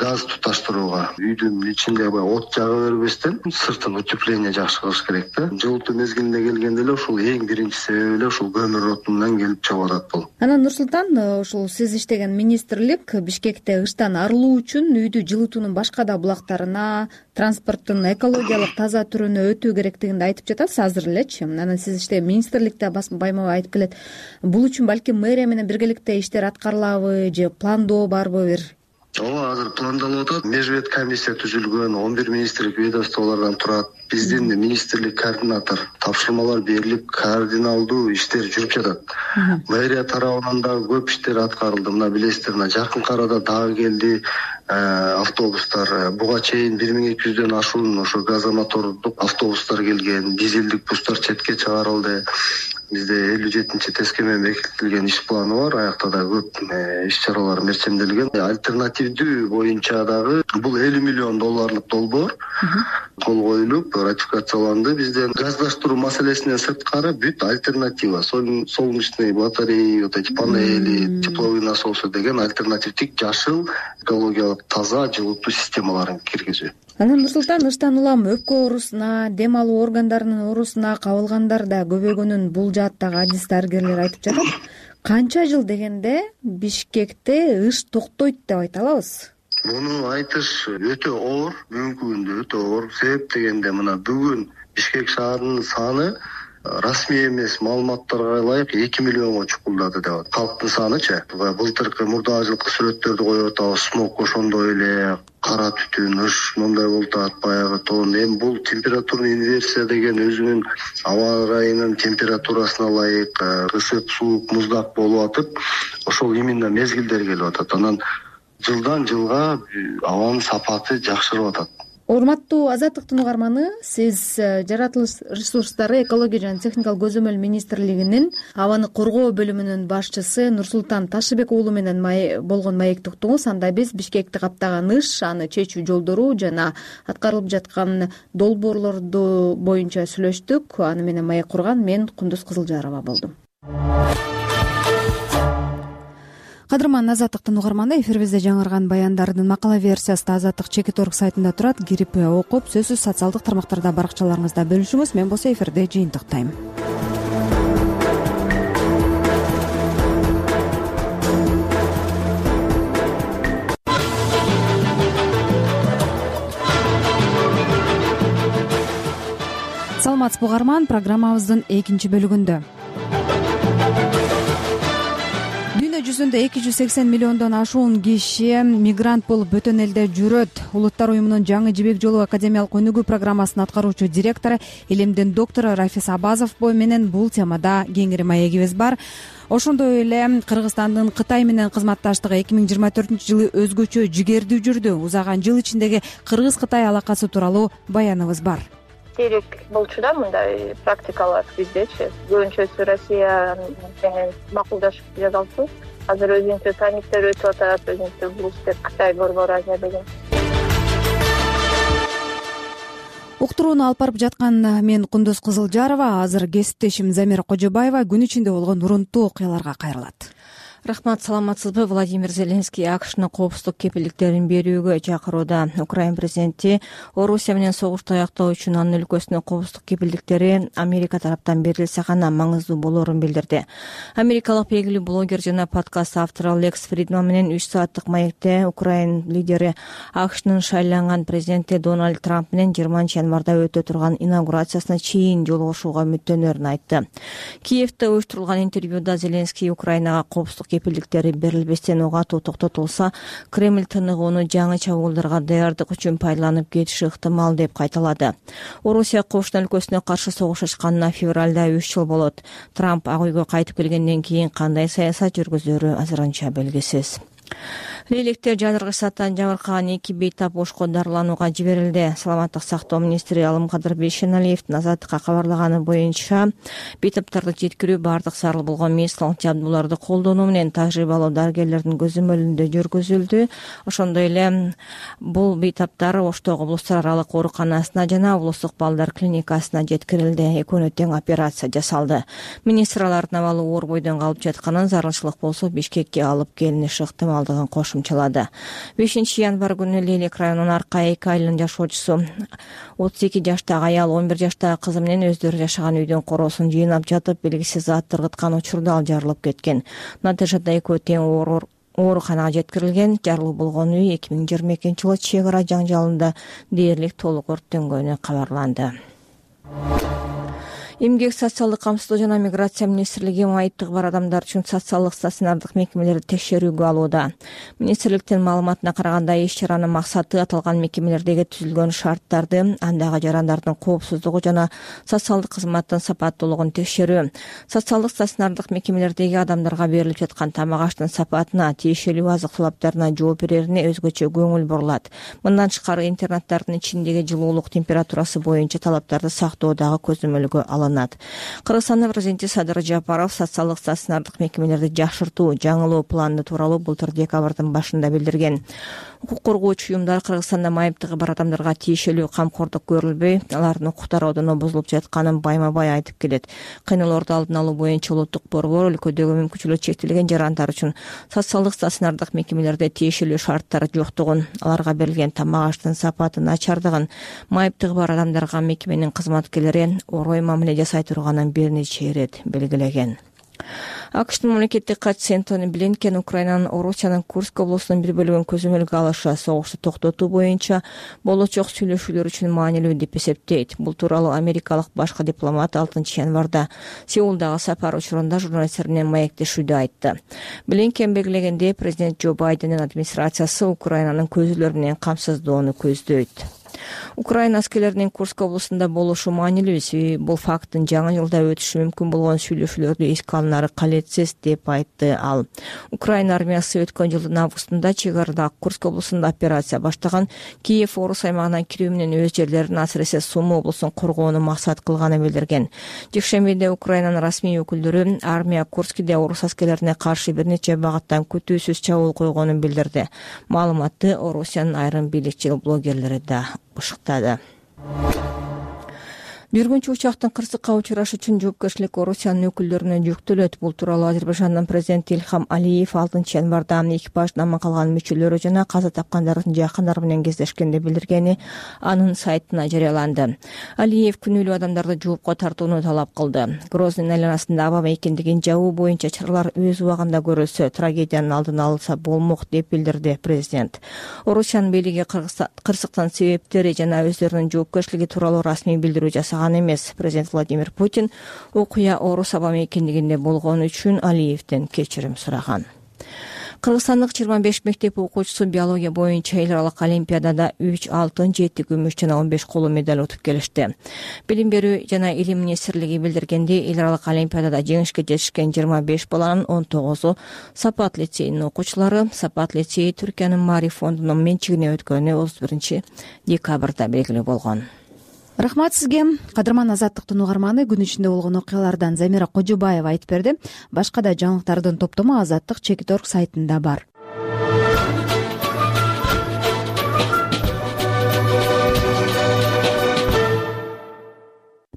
Газ туташтырууга үйдүн ичинде от жага бербестен сыртын утепление жакшы кылыш керек да. Жылытуу мезгилине келгенде эле ушул эң биринчи себеби эле ушул көмүр отунунан келип чыгып атат бул. Анан Нурсултан, ушул сиз иштеген министрлик Бишкекте ыштан арылуу үчүн үйдү жылытуунун башка да булактарына, транспорттун экологиялык таза түрүнө өтүү керектигин айтып жатасыз азыр элечи. Анан сиз иштеген министрликте байма-бай айтып келет. Бул үчүн балким мэрия менен биргеликте иштер аткарылабы же пландоо барбы бир? Ооба, азыр пландалып атат. Межвет комиссия түзүлгөн, 11 министрлик ведомстволордон турат. Биздин министрлик координатор, тапшырмалар берилип, координалдуу иштер жүрүп жатат. Мэрия тарабынан дагы көп иштер аткарылды. Мына билесиздер, жакынкы арада дагы келди автобустар. Буга чейин 1200дөн ашуун ошо газомотордук автобустар келген, дизелдик бустар четке чыгарылды. Бизде 57-чи ТСК менен бекитилген иш планы бар. Аякта да көп иш-чаралар мерчемделген. Альтернативдүү боюнча дагы бул 50 миллион долларлык долбоор кол коюлуп ратификацияланды. Бизден газдаштыруу маселесинен сырткары бүт альтернатива, солнечные батареи, вот эти панели, тепловые насосы деген альтернативдик жашыл экологиялык таза жылытуу системаларын киргизүү. Анан Нурсултан, ыштан улам өпкө оорусуна, дем алуу органдарынын оорусуна кабылгандар да көбөйгөнүн бул жааттагы адис дарыгерлер айтып жатат. Канча жыл дегенде Бишкекте ыш токтойт деп айта алабыз? Муну айтыш өтө оор, бүгүнкү күндө өтө оор. Себеп дегенде мына бүгүн Бишкек шаарынын саны расмий эмес маалыматтарга ылайык 2 миллионго чукулдады деп атат. Калктын санычы былтыркы мурдагы жылкы сүрөттөрдү коюп атабыз. Смог ошондой эле кара түтүн, ыш мондай болуп атат, баягы тоон. Эми бул температурный инверсия деген өзүнүн аба ырайынын температурасына ылайык ысык, суук, муздак болуп атып, ошол именно мезгилдер келип атат. Анан жылдан жылга абанын сапаты жакшырып атат. Урматтуу Азаттыктын угарманы, сиз жаратылыш ресурстары, экология жана техникалык көзөмөл министрлигинин абаны коргоо бөлүмүнүн башчысы Нурсултан Ташыбек уулу менен болгон маекти уктуңуз. Анда биз Бишкекти каптаган ыш, аны чечүү жолдору жана аткарылып жаткан долбоорлорду боюнча сүйлөштүк. Аны менен маек курган мен Кундуз Кызылжарова болдум. Кадырман Азаттыктын угарманы, эфирибизде жаңырган баяндардын макала версиясы Азаттык Чекит.орг сайтында турат. Кирип окуп, сөзсүз социалдык тармактарда, баракчаларыңызда бөлүшүңүз. Мен болсо эфирде жыйынтыктайм. Саламатсызбы угарман, программабыздын экинчи бөлүгүндө дүйнө жүзүндө 280 миллиондон ашуун киши мигрант болуп бөтөн элде жүрөт. Улуттар уюмунун жаңы жибек жолу академиялык өнүгүү программасынын аткаруучу директору, илимдин доктору Рафис Абазов менен бул темада кеңири маегибиз бар. Ошондой эле Кыргызстандын Кытай менен кызматташтыгы 2024-жылы өзгөчө жигердүү жүрдү. Узаган жыл ичиндеги Кыргыз-Кытай алакасы тууралуу баяныбыз бар. Керек болчу да мындай практикалар биздечи. Көбүнчөсү Россия менен макулдашып жасалчу. Азыр өзүнчө саммиттер өтүп атат, өзүнчө блустер Кытай Борбор Азия деген. Уктурууну алып барып жаткан мен Кундуз Кызылжарова, азыр кесиптешим Замира Кожобаева күн ичинде болгон урунттуу окуяларга кайрылат. Рахмат, саламатсызбы? Владимир Зеленский АКШнын коопсуздук кепилдиктерин берүүгө чакырууда. Украина президенти Орусия менен согушту аяктоо үчүн анын өлкөсүнө коопсуздук кепилдиктери Америка тараптан берилсе гана маңыздуу болоорун билдирди. Америкалык белгилүү блогер жана подкаст автору Лекс Фридман менен 3 сааттык маекте Украина лидери АКШнын шайланган президенти Дональд Трамп менен 20-январда өтө турган инаугурациясына чейин жолугушууга үмүттөнөрүн айтты. Киевде уюштурулган интервьюда Зеленский Украинага коопсуздук кепилдиктери берилбестен ого атуу токтотулса, Кремль тыныгууну жаңы чабуулдарга даярдык үчүн пайдаланып кетиши ыктымал деп кайталады. Орусия кошуна өлкөсүнө каршы согуш ачканына февралда 3 жыл болот. Трамп Ак үйгө кайтып келгенден кийин кандай саясат жүргүзөрү азырынча белгисиз. Лейлектер жадыргыч саттан жабыркаган 2 бейтап ошко дарыланууга жиберилди. Саламаттык сактоо министри Алымкадыр Бейшеналиевдин Азаттыкка кабарлаганы боюнча, бейтаптарды жеткирүү бардык зарыл болгон медициналык жабдууларды колдонуу менен тажрыйбалуу дарыгерлердин көзөмөлүндө жүргүзүлдү. Ошондой эле бул бейтаптар Оштогу облустар аралык ооруканасына жана облустук балдар клиникасына жеткирилди. Экөөнө тең операция жасалды. Министр алардын абалы оор бойдон калып жатканын, зарылчылык болсо Бишкекке алып келиниши ыктымалдыгын кошумчалады. 5-январ күнү Лелек районунун Арка эки айылынын жашоочусу 32 жаштагы аял 11 жаштагы кызы менен өздөрү жашаган үйдүн короосун жыйнап жатып, белгисиз зат тыргыткан учурда ал жарылып кеткен. Натыйжада экөө тең ооруканага жеткирилген. Жарылуу болгон үй 2022-жылы чек ара жаңжалында дээрлик толук өрттөнгөнү кабарланды. Эмгек, социалдык камсыздоо жана миграция министрлиги майыптыгы бар адамдар үчүн социалдык стационардык мекемелерди текшерүүгө алууда. Министрликтин маалыматына караганда, иш-чаранын максаты аталган мекемелердеги түзүлгөн шарттарды, андагы жарандардын коопсуздугу жана социалдык кызматтын сапаттуулугун текшерүү. Социалдык стационардык мекемелердеги адамдарга берилип жаткан тамак аштын сапатына, тиешелүү азык талаптарына жооп берерине өзгөчө көңүл бурулат. Мындан тышкары интернаттардын ичиндеги жылуулук температурасы боюнча талаптарды сактоо дагы көзөмөлгө алынат. Кыргызстандын президенти Садыр Жапаров социалдык стационардык мекемелерди жакшыртуу, жаңылоо планы тууралуу былтыр декабрдын башында билдирген. Укук коргоочу уюмдар Кыргызстанда майыптыгы бар адамдарга тиешелүү камкордук көрүлбөй, алардын укуктары бузулуп жатканын байма-бай айтып келет. Кыйноолорду алдын алуу боюнча улуттук борбор өлкөдөгү мүмкүнчүлүгү чектелген жарандар үчүн социалдык стационардык мекемелерде тиешелүү шарттар жоктугун, аларга берилген тамак аштын сапаты начардыгын, майыптыгы бар адамдарга мекеменин кызматкерлери орой мамиле жасай турганын бир нече ирет белгилеген. АКШтын мамлекеттик катчысы Энтони Блинкен Украинанын Орусиянын Курск облусунун бир бөлүгүн көзөмөлгө алышы согушту токтотуу боюнча болочок сүйлөшүүлөр үчүн маанилүү деп эсептейт. Бул тууралуу америкалык башкы дипломат 6-январда Сеулдагы сапар учурунда журналисттер менен маектешүүдө айтты. Блинкен белгилегендей, президент Джо Байдендин администрациясы Украинанын көзүлөр менен камсыздоону көздөйт. Украина аскерлеринин Курск облусунда болушу маанилүү, себеби бул факттын жаңы жылда өтүшү мүмкүн болгон сүйлөшүүлөрдү эске алынары калетсиз деп айтты ал. Украина армиясы өткөн жылдын августунда чек арадагы Курск облусунда операция баштаган, Киев Орус аймагына кирүү менен өз жерлерин, асыресе Сумы облусун коргоону максат кылганын билдирген. Жекшембиде Украинанын расмий өкүлдөрү армия Курскиде Орус аскерлерине каршы бир нече багыттан күтүүсүз чабуул койгонун билдирди. Маалыматты Орусиянын айрым бийликчил блогерлери да бышыктады. Жүргүнчү учактын кырсыкка учурашы үчүн жоопкерчилик Орусиянын өкүлдөрүнө жүктөлөт. Бул тууралуу Азербайжандын президенти Илхам Алиев 6-январда экипаждын аман калган мүчөлөрү жана каза тапкандардын жакындары менен кездешкенде билдиргени анын сайтына жарыяланды. Алиев күнөөлүү адамдарды жоопко тартууну талап кылды. Грозный айланасында аба мейкиндигин жабуу боюнча чаралар өз убагында көрүлсө, трагедиянын алдын алынса болмок деп билдирди президент. Орусиянын бийлиги кырсыктын себептери жана өздөрүнүн жоопкерчилиги тууралуу расмий билдирүү жасаган эмес. Президент Владимир Путин окуя Орус аба мейкиндигинде болгон үчүн Алиевден кечирим сураган. Кыргызстандык 25 мектеп окуучусу биология боюнча эл аралык олимпиадада 3 алтын, 7 күмүш жана 15 коло медаль утуп келишти. Билим берүү жана илим министрлиги билдиргендей, эл аралык олимпиадада жеңишке жетишкен 25 баланын 19-у Сапат лицейинин окуучулары. Сапат лицейи Түркиянын Мари фондунун менчигине өткөнү 31-декабрда белгилүү болгон. Рахмат сизге. Кадырман Азаттыктын угарманы күн ичинде болгон окуялардан Замира Кожобаева айтып берди. Башка да жаңылыктардын топтому Азаттык.org сайтында бар.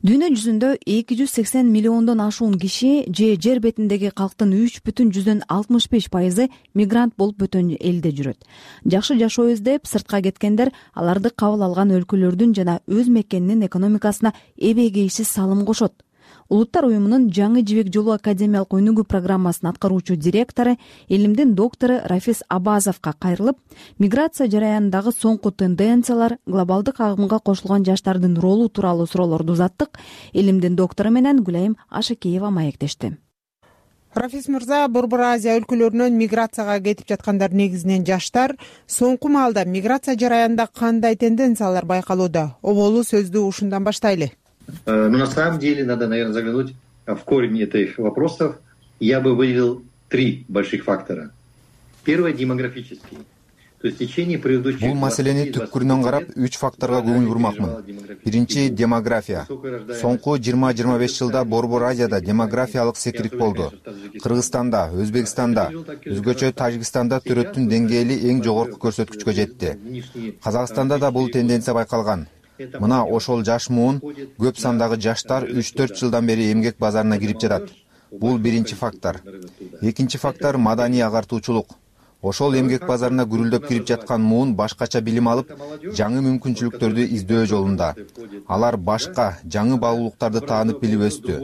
Дүйнө жүзүндө 280 миллиондон ашуун киши же жер бетиндеги калктын 3,65% мигрант болуп бөтөн элде жүрөт. Жакшы жашоо издеп сыртка кеткендер аларды кабыл алган өлкөлөрдүн жана өз мекенинин экономикасына эбегейсиз салым кошот. Улуттар уюмунун Жаңы жибек жолу академиялык өнүгүү программасынын аткаруучу директору, илимдин доктору Рафис Абазовго кайрылып, миграция жараянындагы соңку тенденциялар, глобалдык агымга кошулган жаштардын ролу тууралуу суроолорду узаттык. Илимдин доктору менен Гүлайым Ашыкеева маектешти. Рафис мырза, Борбор Азия өлкөлөрүнөн миграцияга кетип жаткандар негизинен жаштар. Соңку маалда миграция жараянында кандай тенденциялар байкалууда? Оболу сөздү ушундан баштайлы. Но на самом деле надо, наверное, заглянуть в корень этих вопросов. Я бы выделил 3 больших фактора. Первый – демографический. То есть в течение предыдущих... Бул маселени түпкүрүнөн карап 3 факторго көңүл бурмакмын. Биринчи – демография. Соңку 20-25 жылда Борбор Азияда демографиялык секирик болду. Кыргызстанда, Өзбекстанда, өзгөчө Тажикстанда төрөттүн деңгээли эң жогорку көрсөткүчкө жетти. Казакстанда да бул тенденция байкалган. Мына ошол жаш муун, көп сандагы жаштар 3-4 жылдан бери эмгек базарына кирип жатат. Бул биринчи фактор. Экинчи фактор – маданий агартуучулук. Ошол эмгек базарына гүрүлдөп кирип жаткан муун башкача билим алып, жаңы мүмкүнчүлүктөрдү издөө жолунда. Алар башка, жаңы баалуулуктарды таанып билип өстү.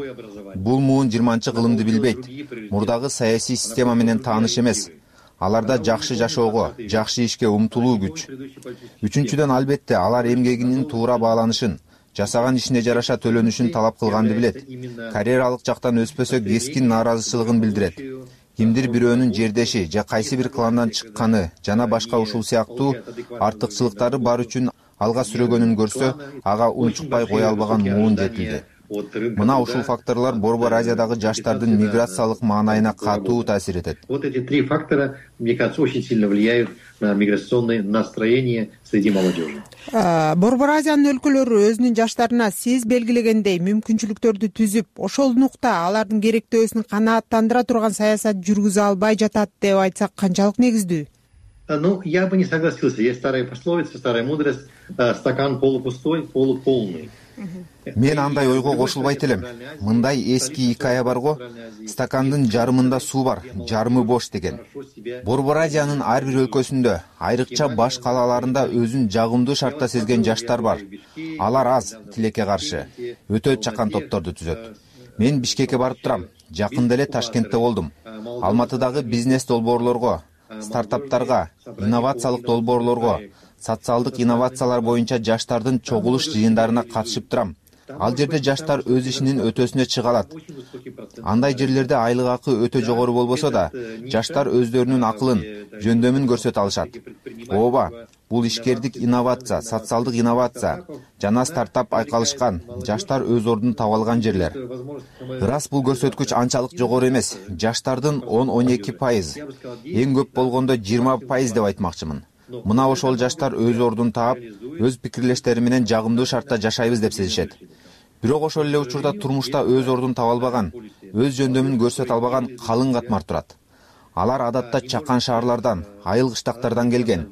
Бул муун 20-кылымды билбейт. Мурдагы саясий система менен тааныш эмес. Аларда жакшы жашоого, жакшы ишке умтулуу күч. Үчүнчүдөн, албетте, алар эмгегинин туура бааланышын, жасаган ишине жараша төлөнүшүн талап кылганды билет. Карьералык жактан өспөсө кескин нааразычылыгын билдирет. Кимдир бирөөнүн жердеши же кайсы бир кландан чыкканы жана башка ушул сыяктуу артыкчылыктары бар үчүн алга сүрөгөнүн көрсө, ага унчукпай кое албаган муун жетилди. Мына ушул факторлор Борбор Азиядагы жаштардын миграциялык маанайына катуу таасир этет. Вот эти 3 фактора, мне кажется, очень сильно влияют на миграционное настроение среди молодежи. Борбор Азиянын өлкөлөрү өзүнүн жаштарына сиз белгилегендей мүмкүнчүлүктөрдү түзүп, ошол нукта алардын керектөөсүн канааттандыра турган саясат жүргүзө албай жатат деп айтсак канчалык негиздүү? Ну, я бы не согласился. Есть старая пословица, старая мудрость: стакан полупустой, полуполный. Мен андай ойго кошулбайт элем. Мындай эски икая барго, стакандын жарымында суу бар, жарымы бош деген. Борбор Азиянын ар бир өлкөсүндө, айрыкча баш калаларында өзүн жагымдуу шартта сезген жаштар бар. Алар аз, тилекке каршы, өтө чакан топторду түзөт. Мен Бишкекке барып турам. жакында эле Ташкентте болдум. Алматыдагы бизнес долбоорлорго, стартаптарга, инновациялык долбоорлорго, социалдык инновациялар боюнча жаштардын чогулуш жыйындарына катышып турам. Ал жерде жаштар өз ишинин өтөсүнө чыга алат. Андай жерлерде айлык акы өтө жогору болбосо да, жаштар өздөрүнүн акылын, жөндөмүн көрсөтө алышат. Ооба, бул ишкердик инновация, социалдык инновация жана стартап айкалышкан, жаштар өз ордун таба алган жерлер. Ырас бул көрсөткүч анчалык жогору эмес. Жаштардын 10-12%, эң көп болгондо 20% деп айтмакчымын. Мына ошол жаштар өз ордун таап, өз пикирлештери менен жагымдуу шартта жашайбыз деп сезишет. Бирок ошол эле учурда турмушта өз ордун таба албаган, өз жөндөмүн көрсөтө албаган калың катмар турат. Алар адатта чакан шаарлардан, айыл кыштактардан келген.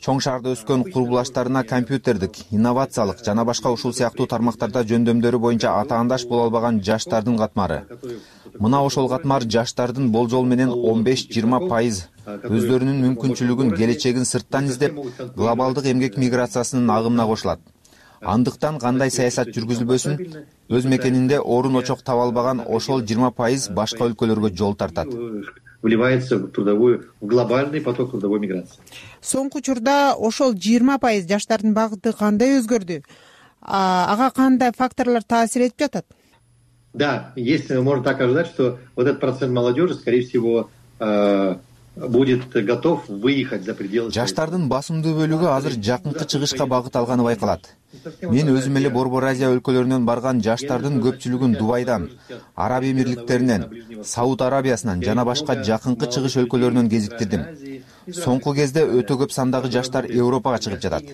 Чоң шаарда өскөн курбулаштарына компьютердик, инновациялык жана башка ушул сыяктуу тармактарда жөндөмдөрү боюнча атаандаш боло албаган жаштардын катмары. Мына ошол катмар жаштардын болжол менен 15-20% өздөрүнүн мүмкүнчүлүгүн, келечегин сырттан издеп, глобалдык эмгек миграциясынын агымына кошулат. Андыктан кандай саясат жүргүзүлбөсүн, өз мекенинде орун очок таба албаган ошол 20% башка өлкөлөргө жол тартат. Вливается в глобальный поток трудовой миграции. Соңку учурда ошол 20% жаштардын багыты кандай өзгөрдү? Ага кандай факторлор таасир этип жатат? Да, если можно так ожидать, что вот этот процент молодежи, скорее всего, будет готов выехать за пределы. Жаштардын басымдуу бөлүгү азыр жакынкы чыгышка багыт алганы байкалат. Мен өзүм эле Борбор Азия өлкөлөрүнөн барган жаштардын көпчүлүгүн Дубайдан, Араб Эмирликтеринен, Сауд Арабиясынан жана башка жакынкы чыгыш өлкөлөрүнөн кезиктирдим. Соңку кезде өтө көп сандагы жаштар Европага чыгып жатат.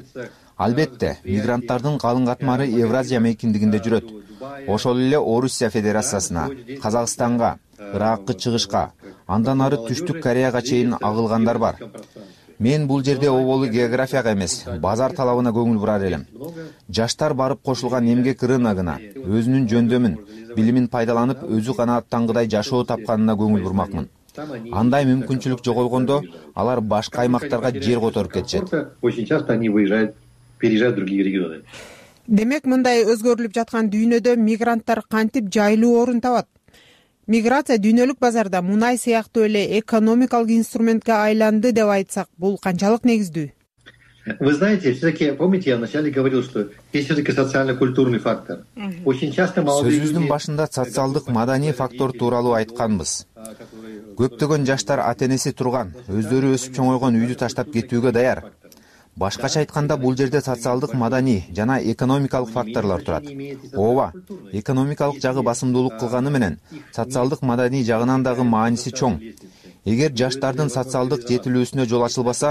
Албетте, мигранттардын калың катмары Евразия мейкиндигинде жүрөт. Ошол эле Орусия Федерациясына, Казакстанга, Иракка чыгышка, андан ары Түштүк Кореяга чейин агылгандар бар. Мен бул жерде оболу географияга эмес, базар талабына көңүл бурар элем. Жаштар барып кошулган эмгек рыногуна, өзүнүн жөндөмүн, билимин пайдаланып, өзү канааттангыдай жашоо тапканына көңүл бурмакмын. Андай мүмкүнчүлүк жоголгондо, алар башка аймактарга жер которуп кетишет. Очень часто они переезжают в другие регионы. Демек, мындай өзгөрүлүп жаткан дүйнөдө мигранттар кантип жайлуу орун табат? Миграция дүйнөлүк базарда мунай сыяктуу эле экономикалык инструментке айланды деп айтсак, бул канчалык негиздүү? Вы знаете, все-таки, помните, я вначале говорил, что есть все-таки социально-культурный фактор. Очень часто молодые люди... Сөзүбүздүн башында социалдык маданий фактор тууралуу айтканбыз. Көптөгөн жаштар ата-энеси турган, өздөрү өсүп чоңойгон үйдү таштап кетүүгө даяр. Башкача айтканда, бул жерде социалдык, маданий жана экономикалык факторлор турат. Ооба, экономикалык жагы басымдуулук кылганы менен, социалдык, маданий жагынан дагы мааниси чоң. Эгер жаштардын социалдык жетилүүсүнө жол ачылбаса,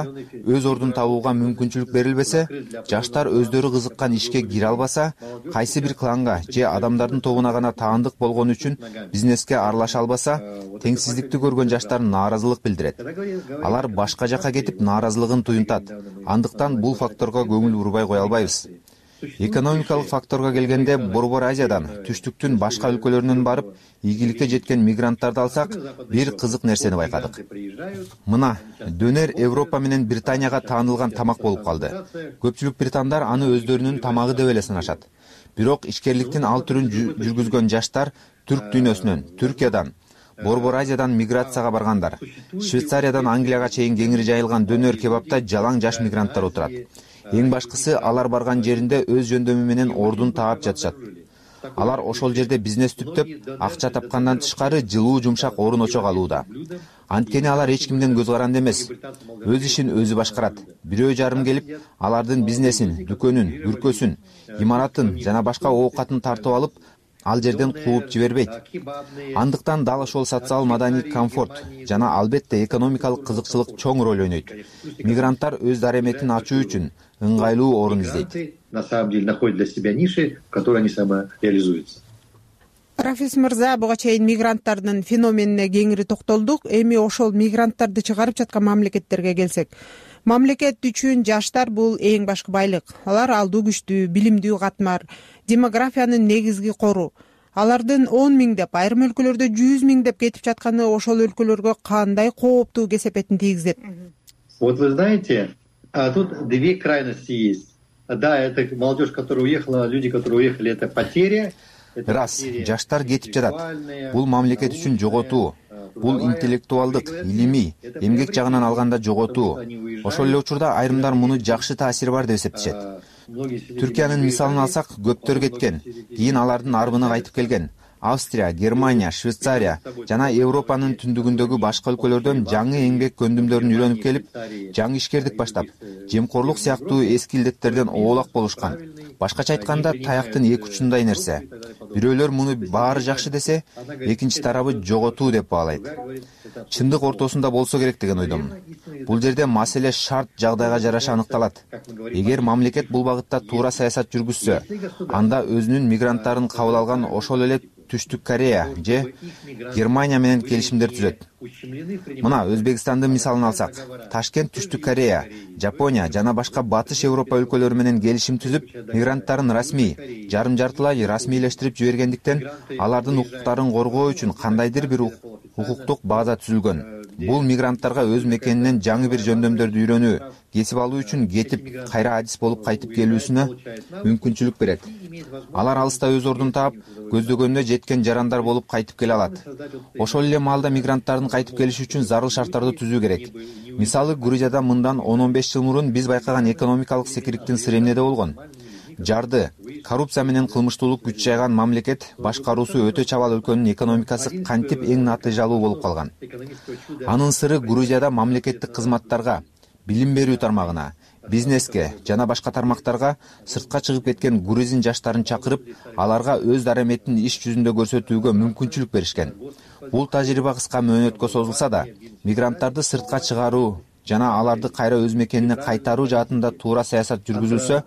өз ордун табууга мүмкүнчүлүк берилбесе, жаштар өздөрү кызыккан ишке кире албаса, кайсы бир кланга же адамдардын тобуна гана таандык болгон үчүн бизнеске аралаша албаса, теңсиздикти көргөн жаштар нааразылык билдирет. Алар башка жакка кетип нааразылыгын туюнтат. Андыктан бул факторго көңүл бурбай кое албайбыз. Экономикалык факторго келгенде, Борбор Азиядан, түштүктүн башка өлкөлөрүнөн барып, ийгиликке жеткен мигранттарды алсак, бир кызык нерсени байкадык. Мына, дөнер Европа менен Британияга таанылган тамак болуп калды. Көпчүлүк британдар аны өздөрүнүн тамагы деп эле санашат. Бирок ишкерликтин ал түрүн жүргүзгөн жаштар түрк дүйнөсүнөн, Түркиядан, Борбор Азиядан миграцияга баргандар. Швейцариядан Англияга чейин кеңири жайылган дөнөр кебапта жалаң жаш мигранттар отурат. Эң башкысы, алар барган жеринде өз жөндөмү менен ордун таап жатышат. Алар ошол жерде бизнес түптөп, акча тапкандан тышкары жылуу жумшак орун очок алууда. Анткени алар эч кимден көз каранды эмес. Өз ишин өзү башкарат. Бирөө жарым келип, алардын бизнесин, дүкөнүн, бүркөсүн, имаратын жана башка оокатын тартып алып, ал жерден кууп жибербейт. Андыктан дал ошол социал маданий комфорт жана албетте экономикалык кызыкчылык чоң роль ойнойт. Мигранттар өз дареметин ачуу үчүн ыңгайлуу орун издейт. На самом деле находят для себя ниши, в которой они самореализуются. Рафис мырза, буга чейин мигранттардын феноменине кеңири токтолдук. Эми ошол мигранттарды чыгарып жаткан мамлекеттерге келсек, мамлекет үчүн жаштар бул эң башкы байлык. Алар алдуу күчтүү, билимдүү катмар, демографиянын негизги кору. Алардын 10 миңдеп, айрым өлкөлөрдө 100 миңдеп кетип жатканы ошол өлкөлөргө кандай кооптуу кесепетин тийгизет? Вот вы знаете, тут две крайности есть. Да, это молодежь, которая уехала, люди, которые уехали, это потеря. ырас жаштар кетип жатат. Бул мамлекет үчүн жоготуу, бул интеллектуалдык, илимий, эмгек жагынан алганда жоготуу. Ошол эле учурда айрымдар муну жакшы таасири бар деп эсептешет. Түркиянын мисалын алсак, көптөр кеткен, кийин алардын арбына кайтып келген. Австрия, Германия, Швейцария жана Европанын түндүгүндөгү башка өлкөлөрдөн жаңы эмгек көндүмдөрүн үйрөнүп келип, жаңы ишкердик баштап, жемкорлук сыяктуу эски илдеттерден оолак болушкан. Башкача айтканда, таяктын эки учундай нерсе. Бирөөлөр муну баары жакшы десе, экинчи тарабы жоготуу деп баалайт. Чындык ортосунда болсо керек деген ойдомун. Бул жерде маселе шарт жагдайга жараша аныкталат. Эгер мамлекет бул багытта туура саясат жүргүзсө, анда өзүнүн мигранттарын кабыл алган ошол эле Түштүк Корея же Германия менен келишимдер түзөт. Мына Өзбекстандын мисалын алсак, Ташкент Түштүк Корея, Жапония жана башка батыш Европа өлкөлөрү менен келишим түзүп, мигранттарын расмий, жарым-жартылай расмийлештирип жибергендиктен алардын укуктарын коргоо үчүн кандайдыр бир укуктук база түзүлгөн. Бул мигранттарга өз мекенинен жаңы бир жөндөмдөрдү үйрөнүү, кесип алуу үчүн кетип, кайра адис болуп кайтып келүүсүнө мүмкүнчүлүк берет. Алар алыста өз ордун таап, көздөгөнүнө жеткен жарандар болуп кайтып келе алат. Ошол эле маалда мигранттардын кайтып келиши үчүн зарыл шарттарды түзүү керек. Мисалы, Грузияда мындан 10-15 жыл мурун биз байкаган экономикалык секириктин сыры эмнеде болгон? Жарды, коррупция менен кылмыштуулук күч жайган мамлекет башкаруусу өтө чабал өлкөнүн экономикасы кантип эң натыйжалуу болуп калган. Анын сыры Грузияда мамлекеттик кызматтарга, билим берүү тармагына, бизнеске жана башка тармактарга сыртка чыгып кеткен грузин жаштарын чакырып, аларга өз дараметин иш жүзүндө көрсөтүүгө мүмкүнчүлүк беришкен. Бул тажрыйба кыска мөөнөткө созулса да, мигранттарды сыртка чыгаруу жана аларды кайра өз мекенине кайтаруу жаатында туура саясат жүргүзүлсө,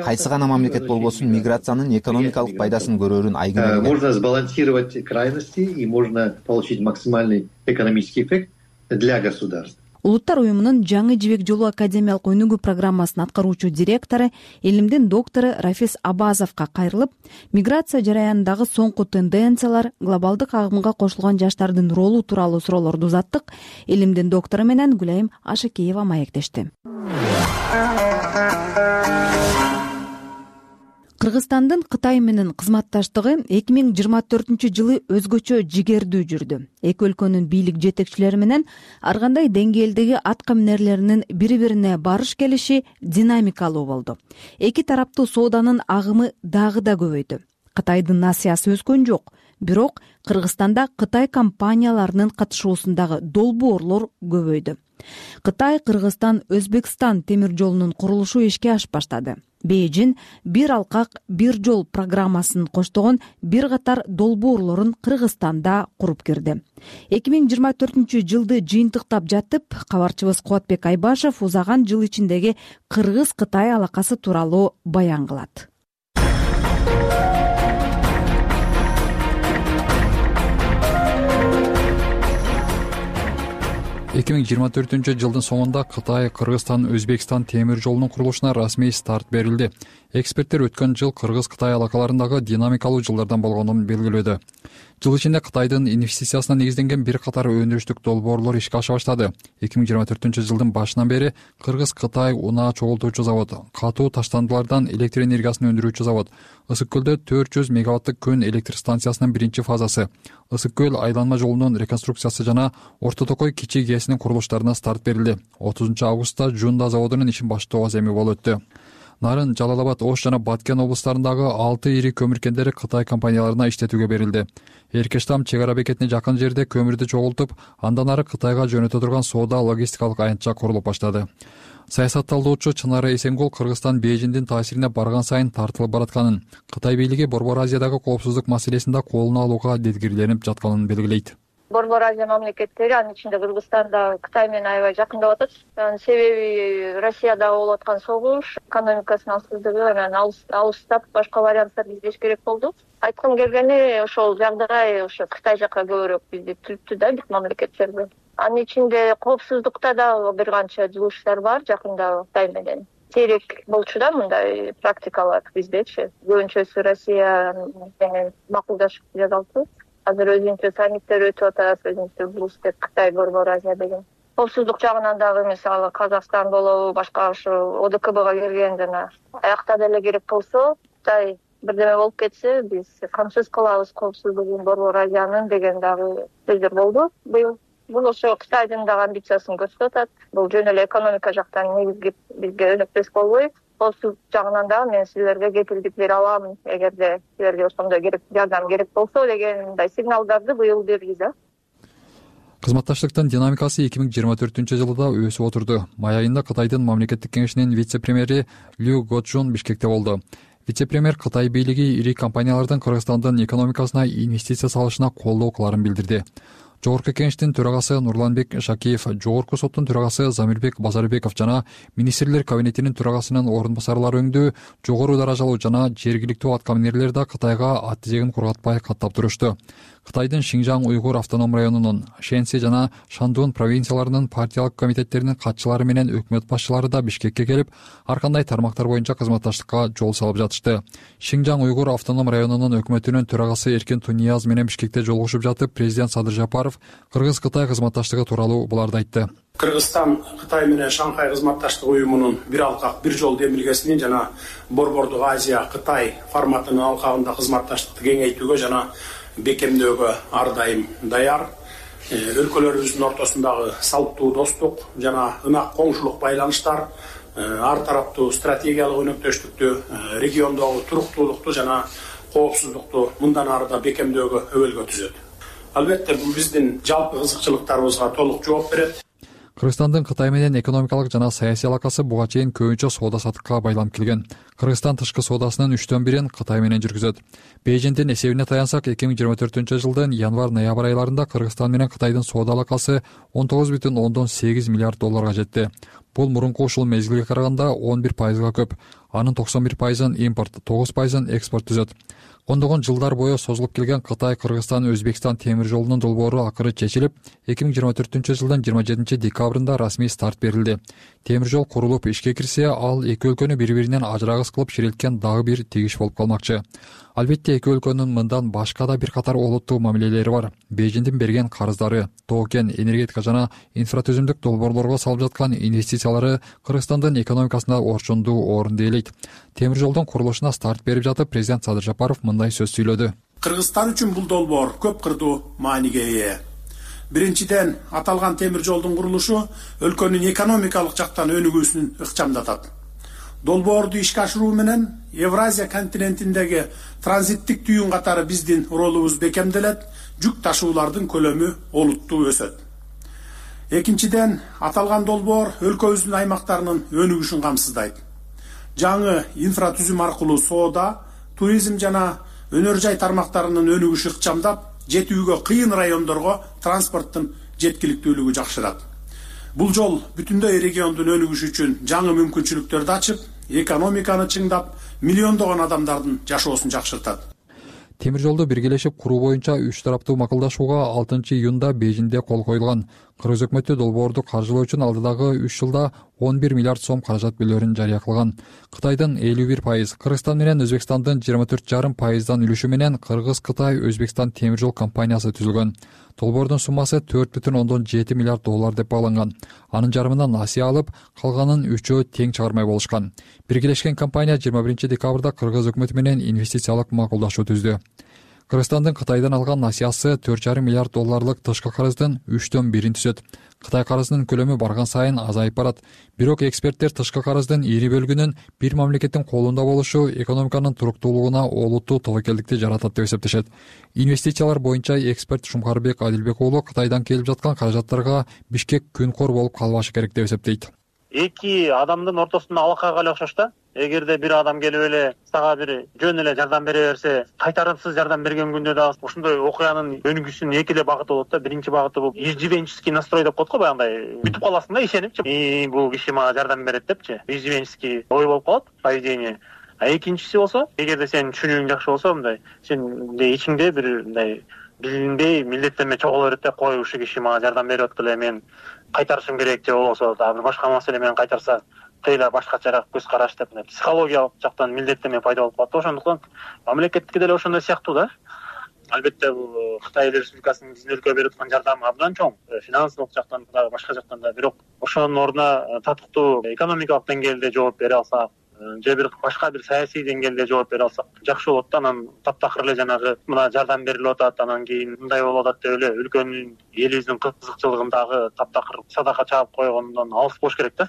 кайсы гана мамлекет болбосун миграциянын экономикалык пайдасын көрөрүн айгын. Можно сбалансировать крайности и можно получить максимальный экономический эффект для государства. Улуттар уюмунун жаңы жибек жолу академиялык өнүгүү программасынын аткаруучу директору, илимдин доктору Рафис Абазовго кайрылып, миграция жараянындагы соңку тенденциялар, глобалдык агымга кошулган жаштардын ролу тууралуу суроолорду узаттык. Илимдин доктору менен Гүлайым Ашыкеева маектешти. Кыргызстандын Кытай менен кызматташтыгы 2024-жылы өзгөчө жигердүү жүрдү. Эки өлкөнүн бийлик жетекчилери менен ар кандай деңгээлдеги атка минерлеринин бири-бирине барыш келиши динамикалуу болду. Эки тараптуу сооданын агымы дагы да көбөйдү. Кытайдын насыясы өскөн жок, бирок Кыргызстанда Кытай компанияларынын катышуусундагы долбоорлор көбөйдү. Кытай, Кыргызстан, Өзбекстан темир жолунун курулушу ишке ашып баштады. Бейжин бир алкак, бир жол программасын коштогон бир катар долбоорлорун Кыргызстанда куруп кирди. 2024-жылды жыйынтыктап жатып, кабарчыбыз Кубатбек Айбашев узаган жыл ичиндеги Кыргыз-Кытай алакасы тууралуу баян кылат. 2024-жылдын соңунда Кытай, Кыргызстан, Өзбекстан темир жолунун курулушуна расмий старт берилди. Эксперттер өткөн жыл Кыргыз-Кытай алакаларындагы динамикалуу жылдардан болгонун белгилөөдө. Жыл ичинде Кытайдын инвестициясына негизденген бир катар өндүрүштүк долбоорлор ишке аша баштады. 2024-жылдын башынан бери Кыргыз-Кытай унаа чогултуучу завод, катуу таштандылардан электр энергиясын өндүрүүчү завод, Ысык көлдө 400 мегаваттык күн электр станциясынын биринчи фазасы, Ысык көл айланма жолунун реконструкциясы жана Орто Токой кичи ГЭСинин курулуштарына старт берилди. 30-августта Жунда заводунун ишин баштоо аземи болуп өттү. Нарын, Жалал-Абад, Ош жана Баткен облустарындагы 6 ири көмүр кендери Кытай компанияларына иштетүүгө берилди. Эркештам чек ара бекетине жакын жерде көмүрдү чогултуп, андан ары Кытайга жөнөтө турган соода логистикалык аянтча курулуп баштады. Саясат талдоочу Чынара Эсенгул Кыргызстан Бейжиндин таасирине барган сайын тартылып баратканын, Кытай бийлиги Борбор Азиядагы коопсуздук маселесинде колуна алууга дедгирленип жатканын белгилейт. Борбор Азия мамлекеттери, анын ичинде Кыргызстан да Кытай менен аябай жакындап атат. Себеби Россияда болуп аткан согуш, экономикасынын алсыздыгы анан алыстап башка варианттарды издеш керек болду. Айткым келгени, ошол жагдай ошо Кытай жака көбүрөөк бизди түрттү да, биз мамлекеттерди. Анын ичинде коопсуздукта да бир канча жылыштар бар жакында Кытай менен. Сейрек болчу да мындай практикалар биздечи. Көбүнчөсү Россия менен макулдашып жасалчу. Азыр өзүнчө саммиттер өтүп атат, өзүнчө БРИКС, Кытай, Борбор Азия деген. Коопсуздук жагынан дагы мисалы Казакстан болобу, башка ошо ОДКБга кирген жана аякта деле керек болсо, Кытай бирдеме болуп кетсе биз камсыз кылабыз коопсуздугун Борбор Азиянын деген дагы сөздөр болду быйыл. Бул ошо Кытайдын дагы амбициясын көрсөтүп атат. Бул жөн эле экономика жактан негизги бизге өнөктөш болбой, коопсуздук жагынан дагы мен силерге кепилдик бере алам, эгерде силерге ошондой жардам керек болсо деген мындай сигналдарды быйыл берди да. Кызматташтыктын динамикасы 2024 жылда өсүп отурду. Май айында Кытайдын мамлекеттик кеңешинин вице-премьери Лю Гочжун Бишкекте болду. Вице-премьер Кытай бийлиги ири компаниялардын Кыргызстандын экономикасына инвестиция салышына колдоо кыларын билдирди. Жогорку кеңештин төрагасы Нурланбек Шакиев, Жогорку соттун төрагасы Замирбек Базарбеков жана министрлер кабинетинин төрагасынын орун басарлары өңдүү жогору даражалуу жана жергиликтүү аткаминерлер да Кытайга ат тизегин кургатпай каттап турушту. Кытайдын Шинжаң уйгур автоном районунун, Шэнси жана Шандун провинцияларынын партиялык комитеттеринин катчылары менен өкмөт башчылары да Бишкекке келип, ар кандай тармактар боюнча кызматташтыкка жол салып жатышты. Шинжаң уйгур автоном районунун өкмөтүнүн төрагасы Эркин Тунияз менен Бишкекте жолугушуп жатып, президент Садыр Жапаров Кыргыз-Кытай кызматташтыгы тууралуу буларды айтты. Кыргызстан Кытай менен Шанхай кызматташтык уюмунун бир алкак бир жол демилгесинин жана Борбордук Азия Кытай форматынын алкагында кызматташтыкты кеңейтүүгө жана бекемдөөгө ар дайым даяр. Өлкөлөрүбүздүн ортосундагы салттуу достук жана ынак коңшулук байланыштар ар тараптуу стратегиялык өнөктөштүктү, региондогу туруктуулукту жана коопсуздукту мындан ары да бекемдөөгө өбөлгө түзөт. Албетте бул биздин жалпы кызыкчылыктарыбызга толук жооп берет. Кыргызстандын Кытай менен экономикалык жана саясий алакасы буга чейин көбүнчө соода саттыкка байланып келген. Кыргызстан тышкы соодасынын 3/1 Кытай менен жүргүзөт. Бейжиңдин эсебине таянсак, 2024 жылдын январь-ноябрь айларында Кыргызстан менен Кытайдын соода алакасы 19,8 миллиард долларга жетти. Бул мурунку ушул мезгилге караганда 11%га көп. Анын 91%ын импорт, 9%ын экспорт түзөт. Ондогон жылдар бою созулуп келген Кытай-Кыргызстан-Өзбекстан темир жолунун долбоору акыры чечилип, 2024 жылдын 27 декабрында расмий старт берилди. Темир жол курулуп ишке кирсе, ал эки өлкөнү бири-биринен ажырагыс кылып ширилткен дагы бир тигиш болуп калмакчы. Албетте эки өлкөнүн мындан башка да бир катар олуттуу мамилелери бар. Бейжиңдин берген карыздары, токен, энергетика жана инфратүзүмдүк долбоорлорго салып жаткан инвестициялары Кыргызстандын экономикасында орчундуу орун ээлейт. Темир жолдун курулушуна старт берип жатып, президент Садыр Жапаров мындай сөз сүйлөдү. Кыргызстан үчүн бул долбоор көп кырдуу мааниге ээ. Биринчиден, аталган темир жолдун курулушу өлкөнүн экономикалык жактан өнүгүүсүн ыкчамдатат. Долбоорду ишке ашыруу менен Евразия континентиндеги транзиттик түйүн катары биздин ролубуз бекемделет, жүк ташуулардын көлөмү олуттуу өсөт. Экинчиден, аталган долбоор өлкөбүздүн аймактарынын өнүгүшүн камсыздайт. Жаңы инфратүзүм аркылуу соода, туризм жана өнөр жай тармактарынын өнүгүшү ыкчамдап, жетүүгө кыйын райондорго транспорттун жеткиликтүүлүгү жакшырат. Бул жол бүтүндөй региондун өнүгүшү үчүн жаңы мүмкүнчүлүктөрдү ачып, экономиканы чыңдап, миллиондогон адамдардын жашоосун жакшыртат. Темир жолду биргелешип куруу боюнча 3 тараптуу макулдашууга 6 июнда Бейжиңде кол коюлган. Кыргыз өкмөтү долбоорду каржылоо үчүн алдыдагы 3 жылда 11 миллиард сом каражат бөлөрүн жарыя кылган. Кытайдын 51%, Кыргызстан менен Өзбекстандын 24,5%дан үлүшү менен Кыргыз-Кытай Өзбекстан темир жол компаниясы түзүлгөн. Долбоордун суммасы 4,7 миллиард доллар деп багланган. Анын жарымынан насыя алып, калганын 3-өө тең чыгармай болушкан. Биргелешкен компания 21 декабрда Кыргыз өкмөтү менен инвестициялык макулдашуу түздү. Кыргызстандын Кытайдан алган насыясы 4,5 миллиард долларлык тышкы карыздын 3/1 түзөт. Кытай карызынын көлөмү барган сайын азайып барат. Бирок эксперттер тышкы карыздын ири бөлүгүнүн бир мамлекеттин колунда болушу экономиканын туруктуулугуна олуттуу тобокелдикти жаратат деп эсептешет. Инвестициялар боюнча эксперт Шумкарбек Адилбек уулу Кытайдан келип жаткан каражаттарга Бишкек күнкор болуп калбашы керек деп эсептейт. Эки адамдын ортосунда алакага эле окшош да. Эгерде бир адам келип эле сага бир жөн эле жардам бере берсе, кайтарымсыз жардам берген күндө дагы ошондой окуянын өнүгүүсүнүн эки эле багыты болот да. Биринчи багыты бул иждивенческий настрой деп коет го, баягындай күтүп каласың да, ишенипчи. Бул киши мага жардам берет депчи. Иждивенческий ой болуп калат, поведение. А экинчиси болсо, эгерде сенин түшүнүгүң жакшы болсо, мындай сен ичиңде бир мындай билинбей милдеттенме чогула берет да, кой ушул киши мага жардам берип атты эле, мен кайтарышым керек же болбосо дагы башка маселе менен кайтарса кыйла башкачараак көз караш деп психологиялык жактан милдеттенме пайда болуп калат. Ошондуктан мамлекеттики деле ошондой сыяктуу да. Албетте бул Кытай Республикасынын биздин өлкөгө берип аткан жардамы абдан чоң, финансылык жактан дагы башка жактан да. Бирок ошонун ордуна татыктуу экономикалык деңгээлде жооп бере алсак, же башка бир саясий деңгээлде жооп бере алсак жакшы болот да. Анан таптакыр эле жанагы мына жардам берилип атат, анан кийин мындай болуп атат деп эле өлкөнүн элибиздин кызыкчылыгындагы таптакыр садака чаап койгондон алыс болуш керек да.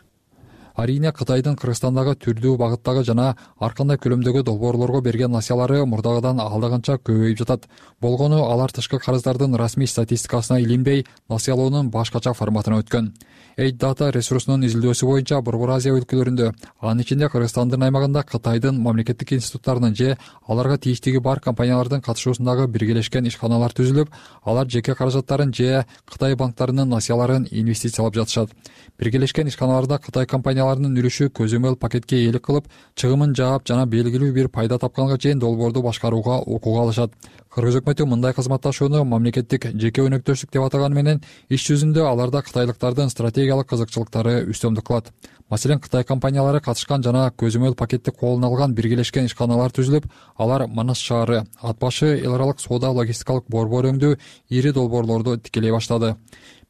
Арийне Кытайдын Кыргызстандагы түрдүү багыттагы жана ар кандай көлөмдөгү долбоорлорго берген насыялары мурдагыдан алда көбөйүп жатат. Болгону алар тышкы карыздардын расмий статистикасына илинбей, насыялоонун башкача форматына өткөн. Aid Data ресурсунун изилдөөсү боюнча Борбор Азия өлкөлөрүндө, анын ичинде Кыргызстандын аймагында Кытайдын мамлекеттик институттарынын же аларга тийиштиги бар компаниялардын катышуусундагы биргелешкен ишканалар түзүлүп, алар жеке каражаттарын же Кытай банктарынын насыяларын инвестициялап жатышат. Биргелешкен ишканаларда Кытай компанияларынын үлүшү көзөмөл пакетке ээлик кылып, чыгымын жаап жана белгилүү бир пайда тапканга чейин долбоорду башкарууга укук алышат. Кыргыз өкмөтү мындай кызматташууну мамлекеттик жеке өнөктөштүк деп атаганы менен иш жүзүндө аларда кытайлыктардын стратегиялык кызыкчылыктары үстөмдүк кылат. Маселен, Кытай компаниялары катышкан жана көзөмөл пакетти колуна алган биргелешкен ишканалар түзүлүп, алар Манас шаары, Ат башы эл аралык соода логистикалык борбор өңдүү ири долбоорлорду тикелей баштады.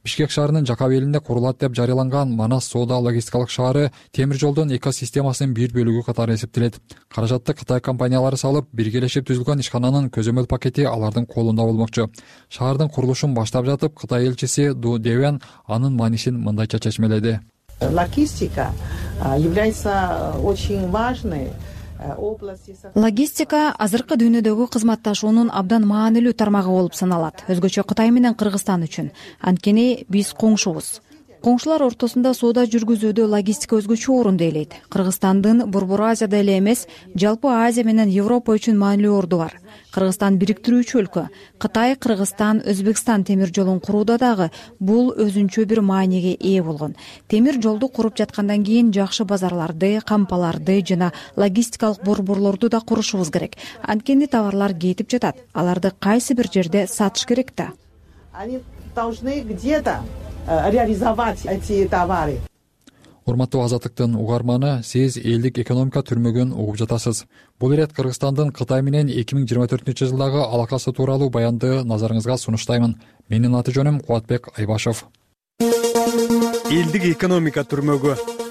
Бишкек шаарынын Жакап элинде курулат деп жарыяланган Манас соода логистикалык шаары темир жолдун экосистемасынын бир бөлүгү катары эсептелет. Каражатты Кытай компаниялары салып, биргелешип түзүлгөн ишкананын көзөмөл пакети алардын колунда болмокчу. Шаардын курулушун баштап жатып, Кытай элчиси Ду Девен анын маанисин мындайча чечмеледи. Логистика является очень важной. Логистика азыркы дүйнөдөгү кызматташуунун абдан маанилүү тармагы болуп саналат. Өзгөчө Кытай менен Кыргызстан үчүн. Анткени биз коңшубуз. Коңшулар ортосунда соода жүргүзүүдө логистика өзгөчө орунду ээлейт. Кыргызстандын Борбор Азияда эле эмес, жалпы Азия менен Европа үчүн маанилүү орду бар. Кыргызстан бириктирүүчү өлкө. Кытай, Кыргызстан, Өзбекстан темир жолун курууда дагы бул өзүнчө бир мааниге ээ болгон. Темир жолду куруп жаткандан кийин жакшы базарларды, кампаларды жана логистикалык борборлорду да курушубуз керек. Анткени товарлар кетип жатат. Аларды кайсы бир жерде сатыш керек да. Они должны где-то реализовать эти товары. Урматтуу Азаттыктын угарманы, сиз элдик экономика түрмөгүн угуп жатасыз. Бул ирет Кыргызстандын Кытай менен 2024-жылдагы алакасы тууралуу баянды назарыңызга сунуштаймын. Менин аты жөнүм Кубатбек Айбашев. Элдик экономика түрмөгү.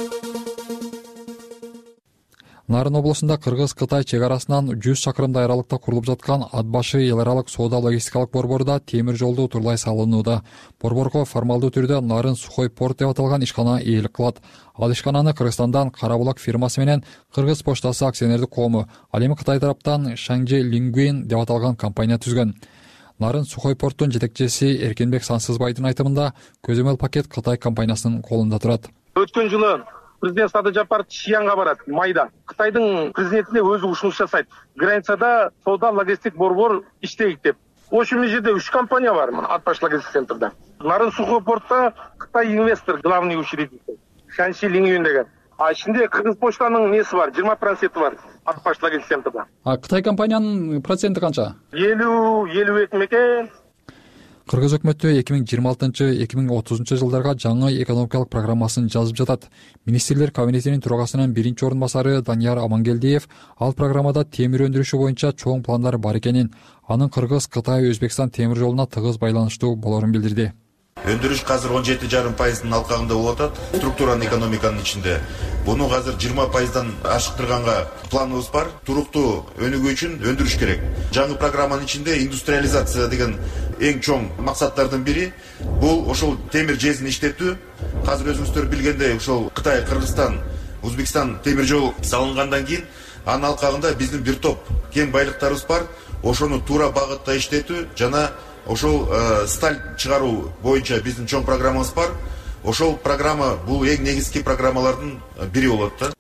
Нарын облусунда Кыргыз-Кытай чек арасынан 100 шакырымдай аралыкта курулуп жаткан Ат башы эл аралык соода логистикалык борборуда темир жолду утурлай салынууда. Борборго формалдуу түрдө Нарын сухой порт деп аталган ишкана ээлик кылат. Ал ишкананы Кыргызстандан Карабулак фирмасы менен Кыргыз поштасы акционердик коому, ал эми Кытай тараптан Шаңжи Лингуин деп аталган компания түзгөн. Нарын сухой порттун жетекчиси Эркенбек Сансызбайдын айтымында көзөмөл пакет Кытай компаниясынын колунда турат. Өткөн жылы президент Садыр Жапаров Шиянга барат майда. Кытайдын президентине өзү ушунуш жасайт. Границада соода логистик борбор иштейт деп. Ошол жерде 3 компания бар, Ат баш логистик центрда. Нарын сухой портта Кытай инвестор, главный учредитель Шанши Лингюин деген. А ичинде Кыргыз почтанын неси бар, 20% бар Ат баш логистик центрда. А Кытай компаниянын проценти канча? 50-52 мекен. Кыргыз өкмөтү 2026-2030 жылдарга жаңы экономикалык программасын жазып жатат. Министрлер кабинетинин төрагасынын биринчи орун басары Данияр Амангелдиев ал программада темир өндүрүшү боюнча чоң пландар бар экенин, анын Кыргыз, Кытай, Өзбекстан темир жолуна тыгыз байланыштуу болорун билдирди. Өндүрүш азыр 17,5% алкагында болуп атат. Структураны экономиканын ичинде. Буну азыр 20%дан ашыктырганга планыбыз бар. Туруктуу өнүгүү үчүн өндүрүш керек. Жаңы программанын ичинде индустриализация деген эң чоң максаттардын бири бул ошол темир жезин иштетүү. Азыр өзүңүздөр билгендей, ошол Кытай, Кыргызстан, Өзбекстан темир жол салынгандан кийин анын алкагында биздин бир топ кен байлыктарыбыз бар. Ошону туура багытта иштетүү жана ошол сталь чыгаруу боюнча биздин чоң программабыз бар. Ошол программа бул эң негизги программалардын бири болот да.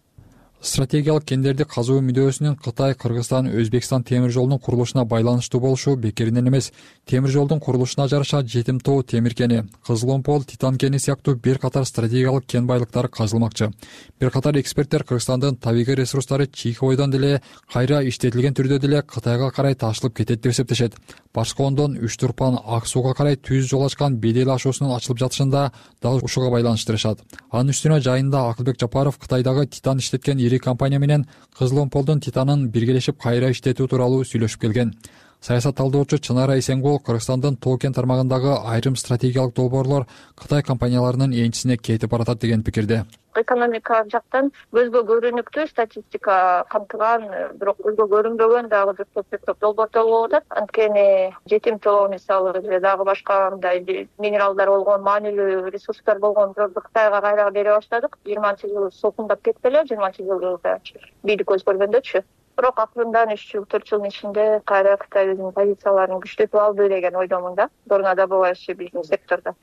Стратегиялык кендерди казуу мүдөөсүнүн Кытай, Кыргызстан, Өзбекстан темир жолунун курулушуна байланыштуу болушу бекеринен эмес. Темир жолдун курулушуна жараша Жетим тоо темир кени, Кызыл Омпол, Титан кени сыяктуу бир катар стратегиялык кен байлыктары казылмакчы. Бир катар эксперттер Кыргызстандын табигый ресурстары чийки бойдон деле кайра иштетилген түрдө деле Кытайга карай ташылып кетет деп эсептешет. Башкы Ондон Үч Турпан Ак сууга карай түз жол ачкан бедел ашуусунун ачылып жатышында дагы ушуга байланыштырышат. Анын үстүнө жайында Акылбек Жапаров Кытайдагы Титан иштеткен компания менен Кызыл Омполдун Титанын биргелешип кайра иштетүү тууралуу сүйлөшүп келген. Саясат талдоочу Чынара Эсенгул Кыргызстандын Тоо кен тармагындагы айрым стратегиялык долбоорлор Кытай компанияларынын энчисине кетип баратат деген пикирде. Экономика жактан көзгө көрүнүктүү статистика камтыган, бирок көзгө көрүнбөгөн дагы көп долбоорлор болуп атат. Анткени жетим тоо мисалы же дагы башка мындай минералдар болгон, маанилүү ресурстар болгон жолду Кытайга кайра бере баштадык. 20-жыл сокундап кетти эле, 20-жыл бийлик өзгөргөндөчү. Бирок акырындан 3 жыл 4 жылдын ичинде кайра Кытай өзүнүн позицияларын күчтөтүп алды деген ойдомун да. Дорнодобывающий бизнес сектордо.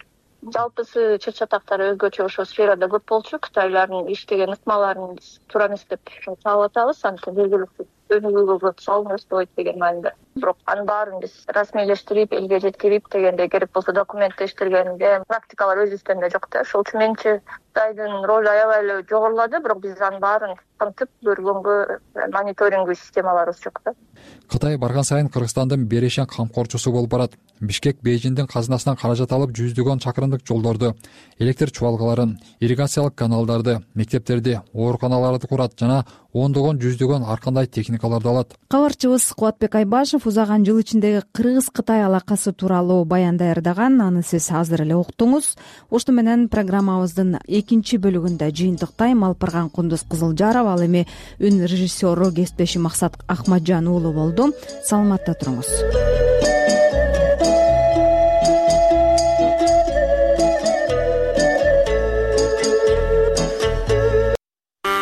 Жалпысы чыр-чатактар өзгөчө ошол сферада көп болчу. Кытайлардын иштеген ыкмаларын туура эмес деп таап атабыз. Анткени белгилүү өнүгүүгө салынып болот деген маанидә. Бирок анын баарын биз расмийлештирип, элге жеткирип дегенде керек болсо документтештиргенде практикалар өзүбүздө жок да. Ошол үчүн менчи Кытайдын ролу аябай эле жогорулады, бирок биз анын баарын камтып көргөнгө мониторингдүү системаларыбыз жок да. Кытай барган сайын Кыргызстандын берешен камкорчусу болуп барат. Бишкек Бейжиңдин казынасынан каражат алып жүздөгөн чакырымдык жолдорду, электр чубалгаларын, ирригациялык каналдарды, мектептерди, ооруканаларды курат жана ондогон жүздөгөн ар кандай техникаларды алат. Кабарчыбыз Кубатбек Айбашев узаган жыл ичиндеги Кыргыз-Кытай алакасы тууралуу баян даярдаган. Аны сиз азыр эле уктуңуз. Ошто менен программабыздын экинчи бөлүгүндө жыйынтыктайм. Алпырган Кундуз Кызылжаров, ал эми үн режиссеру кесиптешим Максат Ахмаджан уулу болду. Саламатта туруңуз.